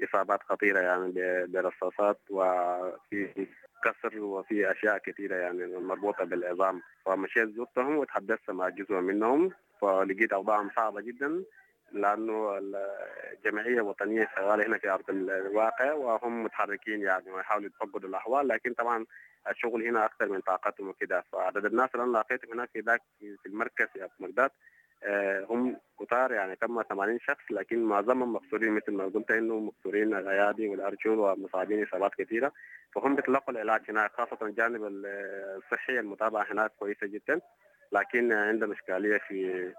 M: اصابات خطيرة يعني برصاصات وفي كسر وفي اشياء كثيرة يعني مربوطة بالعظام. فمشيت زرتهم وتحدثت مع جزء منهم، فلقيت اوضاعهم صعبة جدا، لانه الجمعية الوطنية شغالة هنا في ارض الواقع وهم متحركين يعني ويحاولوا يتفقدوا الاحوال، لكن طبعا الشغل هنا اكثر من طاقتهم وكده. فعدد الناس اللي انا لقيتهم هناك في ذاك في المركز في مقداد هم كتار يعني تم ثمانين شخص، لكن معظمهم مكسورين مثل ما قلت انه مكسورين الايادي والارجل ومصابين اصابات كثيرة، فهم بيتلقوا العلاج هناك، خاصة الجانب الصحي المتابعة هناك كويسة جدا، لكن عندهم اشكالية في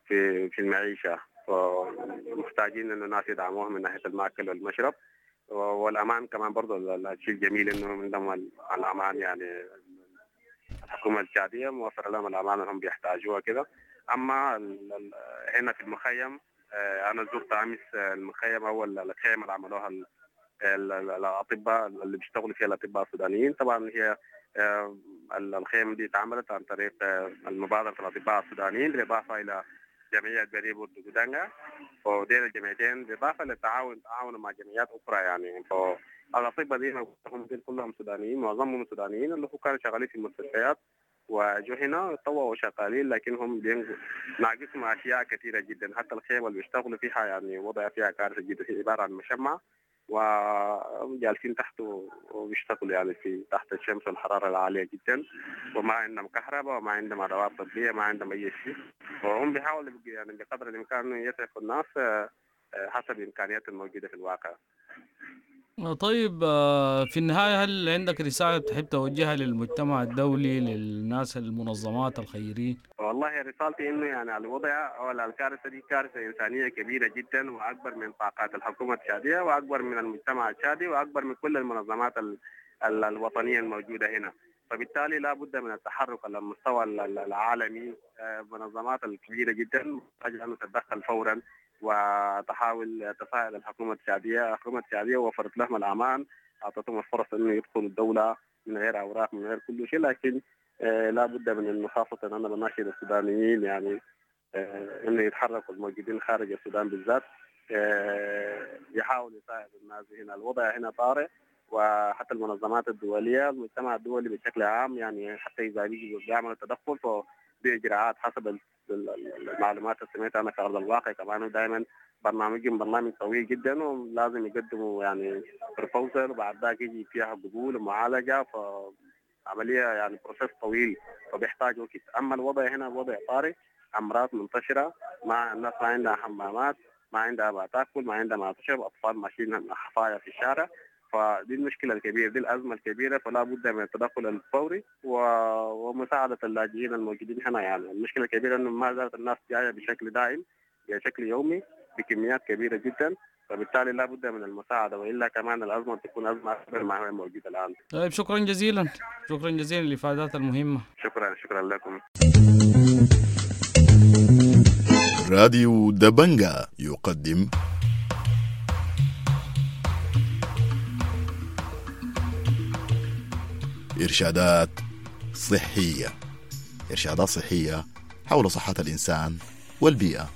M: في في المعيشة، فمحتاجين انه الناس يدعموهم من ناحية المأكل والمشرب والامان كمان. برضه الشيء الجميل انه عندهم الامان، يعني الحكومة التشاديه موفره لهم الامان اللي هم بيحتاجوها كده. اما هنا في المخيم، انا زرت امس المخيم او الخيمة اللي عملوها الاطباء اللي بيشتغلوا فيها الاطباء السودانيين. طبعا هي الخيمة دي اتعملت عن طريق المبادرة الاطباء السودانيين بالاضافة الى جمعية بريبو دودانجا، وديل الجمعيتين بالاضافة للتعاون تعاون مع جمعيات اخرى يعني. فالاطباء دي هم كلهم سودانيين، معظمهم سودانيين اللي هو كانوا شغالين في المستشفيات وجو هنا طوعوا شغالين، لكن هم ناقصهم اشياء كثيرة جدا. حتى الخيمة اللي بيشتغلوا فيها يعني وضع فيها كارثة جدا، هي عبارة عن مشمع وجالسين تحته وبيشتغلوا يعني في تحت الشمس والحرارة العالية جدا، وما عندهم كهرباء وما عندهم ادوات طبية، ما عندهم اي شيء. وهم بيحاولوا يعني بقدر الامكان يسعفوا الناس حسب الامكانيات الموجودة في الواقع.
J: طيب في النهاية هل عندك رسالة تحب توجهها للمجتمع الدولي، للناس، المنظمات الخيرية؟
M: والله رسالتي انه يعني الوضع او الكارثة دي كارثة انسانية كبيرة جدا، واكبر من طاقات الحكومة التشادية واكبر من المجتمع التشادي واكبر من كل المنظمات ال ال الوطنية الموجودة هنا. فبالتالي لا بد من التحرك على المستوى العالمي، منظمات الكبيرة جدا محتاجة أن تتدخل فورا وتحاول تساعد الحكومة التشادية. الحكومة التشادية وفرت لهم الأمان، أعطتهم الفرص أنه يدخلوا الدولة من غير أوراق من غير كل شيء، لكن لا بد من أنه خاصة أنا بناشد السودانيين يعني أنه يتحركوا الموجودين خارج السودان بالذات، يحاولوا يساعدوا الناس هنا. الوضع هنا طارئ، وحتى المنظمات الدولية المجتمع الدولي بشكل عام يعني حتى إذا بيجوا بيعملوا تدخل فبإجراءات حسب المعلومات اللي سمعتها أنا في أرض الواقع. كمان دائما برنامجهم برنامج طويل جدا، ولازم يقدموا يعني proposal وبعد ذاك يجي فيها قبول ومعالجة، فعملية يعني process طويل فبيحتاج وقت. أما الوضع هنا وضع طارئ، أمراض منتشرة، ما الناس ما عندها حمامات، ما عندها ما تاكل، ما عندها ما تشرب، أطفال ماشيين حفايا في الشارع. فدي المشكلة الكبيرة، دي الأزمة الكبيرة، فلا بد من التدخل الفوري ومساعدة اللاجئين الموجودين هنا. يعني المشكلة الكبيرة أنه ما زالت الناس جاية بشكل دائم بشكل يومي بكميات كبيرة جدا، فبالتالي لا بد من المساعدة، وإلا كمان الأزمة تكون أزمة أكبر ما هي موجودة الآن.
J: طيب شكرا جزيلا، شكرا جزيلا للإفادات المهمة.
M: شكرا، شكرا لكم.
A: راديو دبنجا يقدم إرشادات صحية، إرشادات صحية حول صحة الإنسان والبيئة.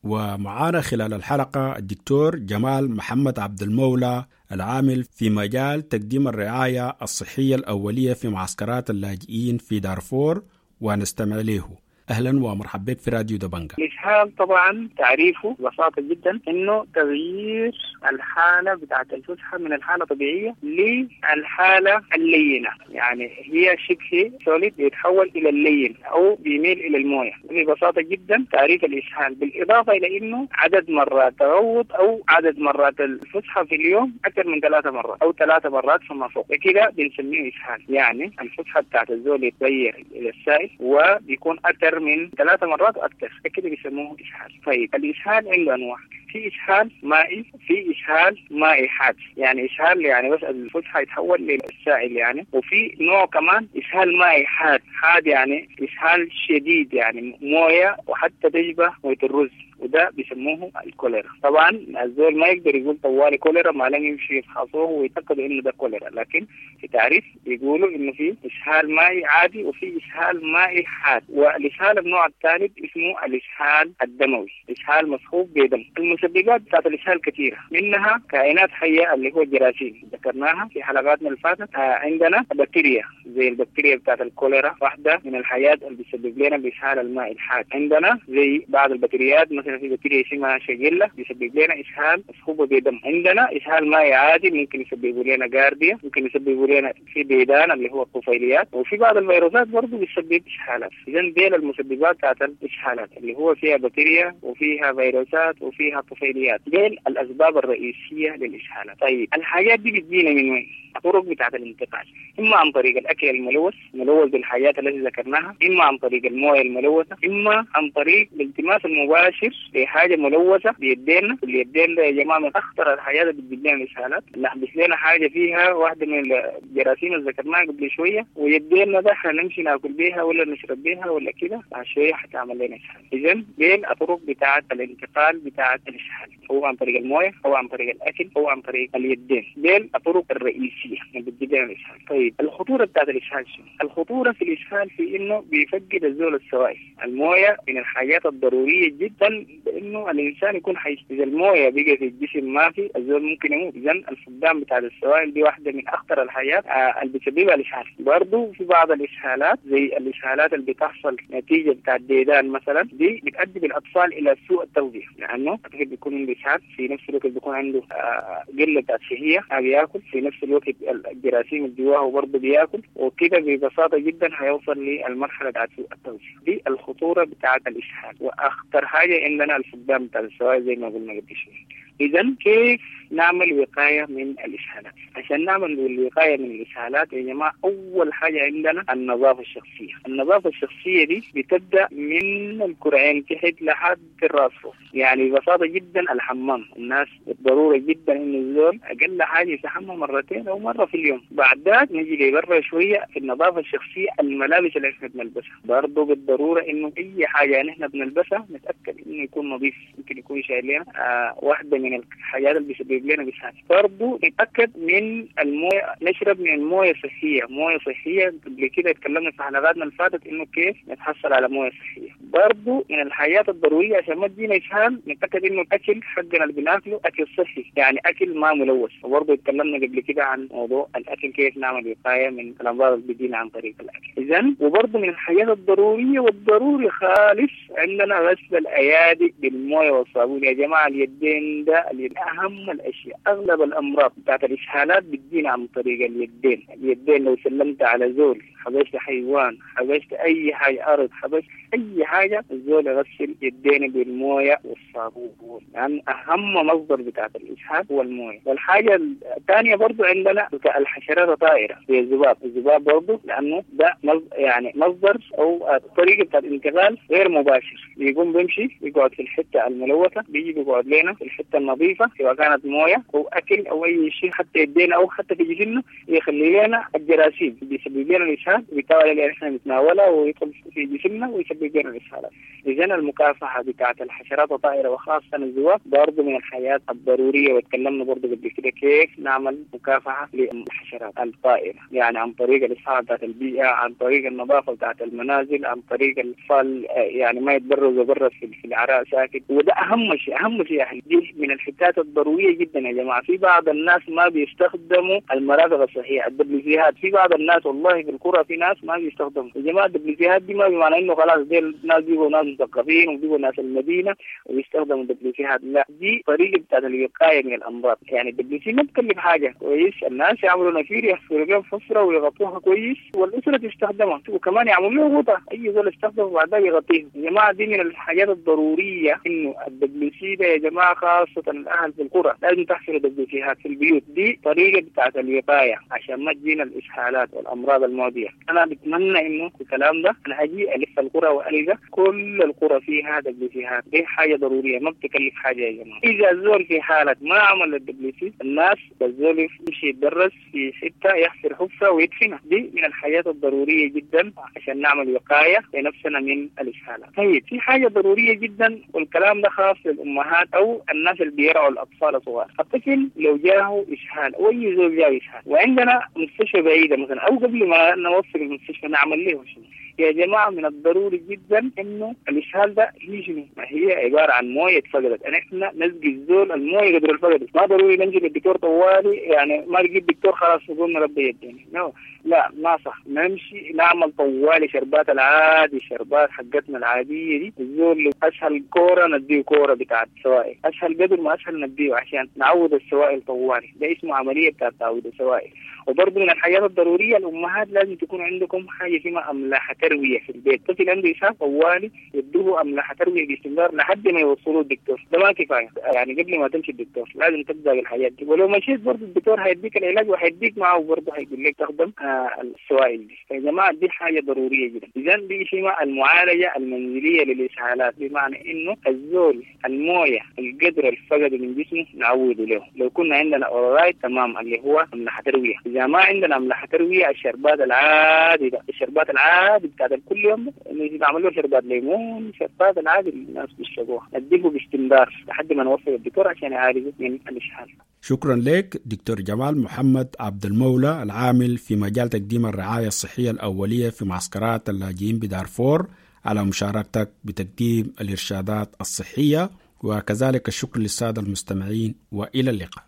B: ومعانا خلال الحلقة الدكتور جمال محمد عبد المولى العامل في مجال تقديم الرعاية الصحية الأولية في معسكرات اللاجئين في دارفور، ونستمع له. أهلا ومرحبا بك في راديو دبنجا.
N: الإسهال طبعا تعريفه ببساطة جدا إنه تغيير الحالة بتاعت الفسحة من الحالة الطبيعية للحالة اللينة، يعني هي شبه solid بيتحول إلى اللين أو بيميل إلى الموية. ببساطة جدا تعريف الإسهال، بالإضافة إلى إنه عدد مرات تغوط أو عدد مرات الفسحة في اليوم أكثر من ثلاثة مرات أو ثلاثة مرات فما فوق، كده بنسميه إسهال. يعني الفسحة بتاعت الزول يتغير إلى السائل وبيكون أكثر من ثلاثة مرات وأكثر، كده بيسموه إسهال. طيب الإسهال عنده أنواع، في إسهال مائي، في إسهال مائي حاد، يعني إسهال يعني بس الفسحة يتحول للسائل يعني، وفي نوع كمان إسهال مائي حاد، حاد يعني إسهال شديد يعني موية وحتى تشبه موية الرز، وده بيسموه الكوليرا. طبعا الزول ما يقدر يقول طوالي كوليرا ما لم يمشي يفحصوه ويتأكدوا انه ده كوليرا، لكن في تعريف بيقولوا انه في اسهال مائي عادي وفي اسهال مائي حاد. والاسهال النوع الثالث اسمه الاسهال الدموي، اسهال مصحوب بدم. المسببات بتاعت الاسهال كثيرة، منها كائنات حيه اللي هو الجراثيم ذكرناها في حلقاتنا اللي فاتت، آه عندنا بكتيريا زي البكتيريا بتاعت الكوليرا، واحدة من الحياة اللي بتسبب لنا الاسهال المائي الحاد. عندنا زي بعض البكتيريات مثلا في بكتيريا اسمها شيجيلا بيسبب لنا اسهال مصحوبه بدم. عندنا اسهال مائي عادي ممكن يسببوا لنا جارديا، ممكن يسببوا لنا في ديدان اللي هو الطفيليات، وفي بعض الفيروسات برضه بتسبب اسهالات. اذا ديل المسببات بتاعت الاسهالات اللي هو فيها بكتيريا وفيها فيروسات وفيها طفيليات، ديل الاسباب الرئيسية للاسهالات. طيب الحاجات دي بتجينا من وين؟ الطرق بتاعت الانتقال، اما عن طريق الاكل الملوث ملوث بالحاجات التي ذكرناها، اما عن طريق المويه الملوثة، اما عن طريق الالتماس المباشر لحاجة ملوثة بيدينا. اليدين ده يا جماعة من اخطر الحاجات اللي بتجيب لنا الاسهالات، نحبس لنا حاجة فيها واحدة من الجراثيم اللي ذكرناها قبل شوية، ويدينا ده احنا نمشي ناكل بيها ولا نشرب بيها ولا كده، بعد شوية حتعمل لنا اسهال. اذا دي الطرق بتاعت الانتقال بتاعت الاسهال، هو عن طريق المويه او عن طريق الاكل او عن طريق اليدين، دي الطرق الرئيسية اللي بتجيب لنا الاسهال. طيب الخطورة بتاعت الاسهال شنو؟ الخطورة في الاسهال في انه بيفقد الزول السوائل، المويه من الحاجات الضرورية جدا بانه الانسان يكون حي، اذا المويه بقى في الجسم ما في الزول ممكن يموت. اذا الفقدان بتاع السوائل دي واحدة من اخطر الحاجات آه اللي بتسببها الاسهال. برضه في بعض الاسهالات زي الاسهالات اللي بتحصل نتيجة بتاع الديدان مثلا، دي بتؤدي بالاطفال الى سوء التغذية، لانه الطفل بيكون عنده اسهال، في نفس الوقت بيكون عنده آه قلة بتاعت شهية ما بياكل، في نفس الوقت الجراثيم اللي جواه برضه بياكل، وكده ببساطة جدا هيوصل للمرحلة بتاعت سوء التغذية. دي الخطورة بتاعت الاسهال، واخطر حاجة عندنا الفقدان بتاع السوائل زي ما قلنا قبل شوية. اذا كيف نعمل وقاية من الاسهالات؟ عشان نعمل الوقاية من الاسهالات يا جماعة اول حاجة عندنا النظافة الشخصية. النظافة الشخصية دي بتبدا من الكرعين تحت لحد الراس فوق، يعني ببساطة جدا الحمام، الناس بالضرورة جدا انه الزول اقل حاجة يستحمى مرتين او مرة في اليوم. بعد ذاك نجي لبرا شوية في النظافة الشخصية، الملابس اللي احنا بنلبسها برضه بالضرورة انه اي حاجة نحن بنلبسها نتاكد انه يكون نظيف، ممكن يكون شايل لنا آه واحدة من الحاجات اللي بيسبب لنا اسهال. برضه نتاكد من المويه، نشرب من المويه الصحية، مويه صحية قبل كده اتكلمنا في حلقاتنا اللي فاتت انه كيف نتحصل على مويه صحية. برضه من الحاجات الضرورية عشان ما تجينا اسهال نتاكد انه الاكل حقنا اللي بناكله اكل صحي، يعني اكل ما ملوث. وبرضه اتكلمنا قبل كده عن موضوع الاكل كيف نعمل وقاية من الامراض اللي بتجينا عن طريق الاكل. اذا وبرضه من الحاجات الضرورية والضروري خالص عندنا غسل الايادي بالمويه والصابون. يا جماعة اليدين ده من اهم الاشياء، اغلب الامراض بتاعت الاسهالات بتجينا عن طريق اليدين. اليدين لو سلمت على زول، حبشت حيوان، حبشت اي حاجة ارض، حبشت اي حاجة، الزول يغسل يدينه بالمويه والصابون، لان يعني اهم مصدر بتاعت الاسهال هو المويه. والحاجة الثانية برضو عندنا الحشرات الطائرة زي الذباب، الذباب برضو لانه ده يعني مصدر او طريقه بتاعت انتقال غير مباشر، بيقوم بيمشي بيقعد في الحتة الملوثة، بيجي بيقعد لنا في الحتة النظيفة سواء كانت مويه او اكل او اي شيء حتى يدينا او حتى في جسمنا، يخلي لنا الجراثيم بيسبب لنا الاسهال، وبالتالي اللي احنا نتناولها ويدخل في جسمنا ويسبب لنا الاسهالات. اذا المكافحه بتاعت الحشرات الطائرة وخاصة الذباب برضه من الحياة الضرورية، وتكلمنا برضه قبل كده كيف نعمل مكافحة للحشرات الطائرة، يعني عن طريق الاصحاح بتاعت البيئة، عن طريق النظافة بتاعت المنازل، عن طريق الاطفال يعني ما يتبرزوا برا في العراء ساكت. وده اهم شيء، اهم شيء يعني دي من الحتات الضرورية جدا يا جماعة. في بعض الناس ما بيستخدموا المرافق الصحية، الدبليوسيهات، في بعض الناس والله في القرى في ناس ما بيستخدموا. يا جماعة ال WC هات دي ما بمعنى انه خلاص ديل ناس بيبقوا ناس مثقفين وبيبقوا ناس المدينة وبيستخدموا ال WC هات، لا، دي طريقه بتاعت الوقاية من الامراض. يعني ال WC ما بتكلف حاجة، كويس، الناس يعملوا نفير يحفروا بيهم حفره ويغطوها كويس والاسرة تستخدمها، وكمان يعملوا له غطاء، اي زول يستخدمه وبعدها يغطيه. يا جماعة دي من الحاجات الضرورية انه ال WC ده يا جماعة خاصة الاهل في القرى لازم تحفروا WC هات في البيوت، دي طريقه بتاعت الوقاية عشان ما تجينا الاسهالات والامراض المعدية. انا بتمنى انه الكلام ده انا اجي الف القرى والقى كل القرى فيها WC هات، دي حاجة ضرورية ما بتكلف حاجة يا جماعة. اذا الزول في حاله ما عمل ال WC، الناس الزول يمشي يتدرس في حتة يحفر حفره ويدفنها، دي من الحاجات الضرورية جدا عشان نعمل وقاية لنفسنا من الاسهالات. طيب في حاجة ضرورية جدا والكلام ده خاص للامهات او الناس اللي بيرعوا الاطفال الصغار، الطفل لو جاة اسهال او اي زول جاه اسهال وعندنا مستشفى بعيدة مثلا او قبل ما نوصل المستشفى نعمل له شنو؟ يا جماعة من الضروري جدا انه الاسهال ده هي شنو؟ ما هي عبارة عن مويه اتفقدت، احنا نسقي الزول المويه قدر الفقدت، ما ضروري نمشي للدكتور طوالي، يعني ما نجيب دكتور خلاص نقول ربي يديني، no. لا ما صح، نمشي نعمل طوالي شربات العادي، شربات حقتنا العادية دي، الزول اسهل كورة نديه كورة بتاعت سوائل، اسهل قدر ما اسهل نديه عشان نعوض السوائل طوالي، ده اسمه عملية بتاعت تعويض السوائل. وبرضه من الحاجات الضرورية الامهات لازم تكون عندكم حاجة اسمها املاح ترويه في البيت، طفل عنده اسهال طوالي يدوه املاح ترويه باستمرار لحد ما يوصلوه الدكتور، ده ما كفاية، يعني قبل ما تمشي الدكتور لازم تبدا بالحاجات دي، ولو مشيت برضه الدكتور هيديك العلاج وهيديك معه برضه هيقول لك تخدم آه السوائل دي. فيا جماعة دي حاجة ضرورية جدا. اذا دي اسمها المعالجة المنزلية للاسهالات، بمعنى انه الزول المويه القدر الفقد من جسمه نعوده له، لو كنا عندنا ORALYTE تمام اللي هو املاح ترويه، اذا ما عندنا املاح ترويه الشربات العادي ده، الشربات العادي بتاعت كل يوم اللي بيعملوا شربات ليمون، شربات العادي اللي الناس بيشربوها، نديه باستمرار لحد ما نوصل الدكتور عشان يعالجه من الاسهال.
B: شكرا لك دكتور جمال محمد عبد المولى العامل في مجال تقديم الرعاية الصحية الأولية في معسكرات اللاجئين بدارفور على مشاركتك بتقديم الإرشادات الصحية، وكذلك الشكر للسادة المستمعين وإلى اللقاء.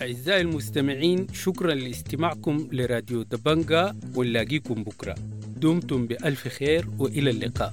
L: أعزائي المستمعين، شكرا لاستماعكم لراديو دبنجا، ونلاقيكم بكرة. دمتم بألف خير وإلى اللقاء.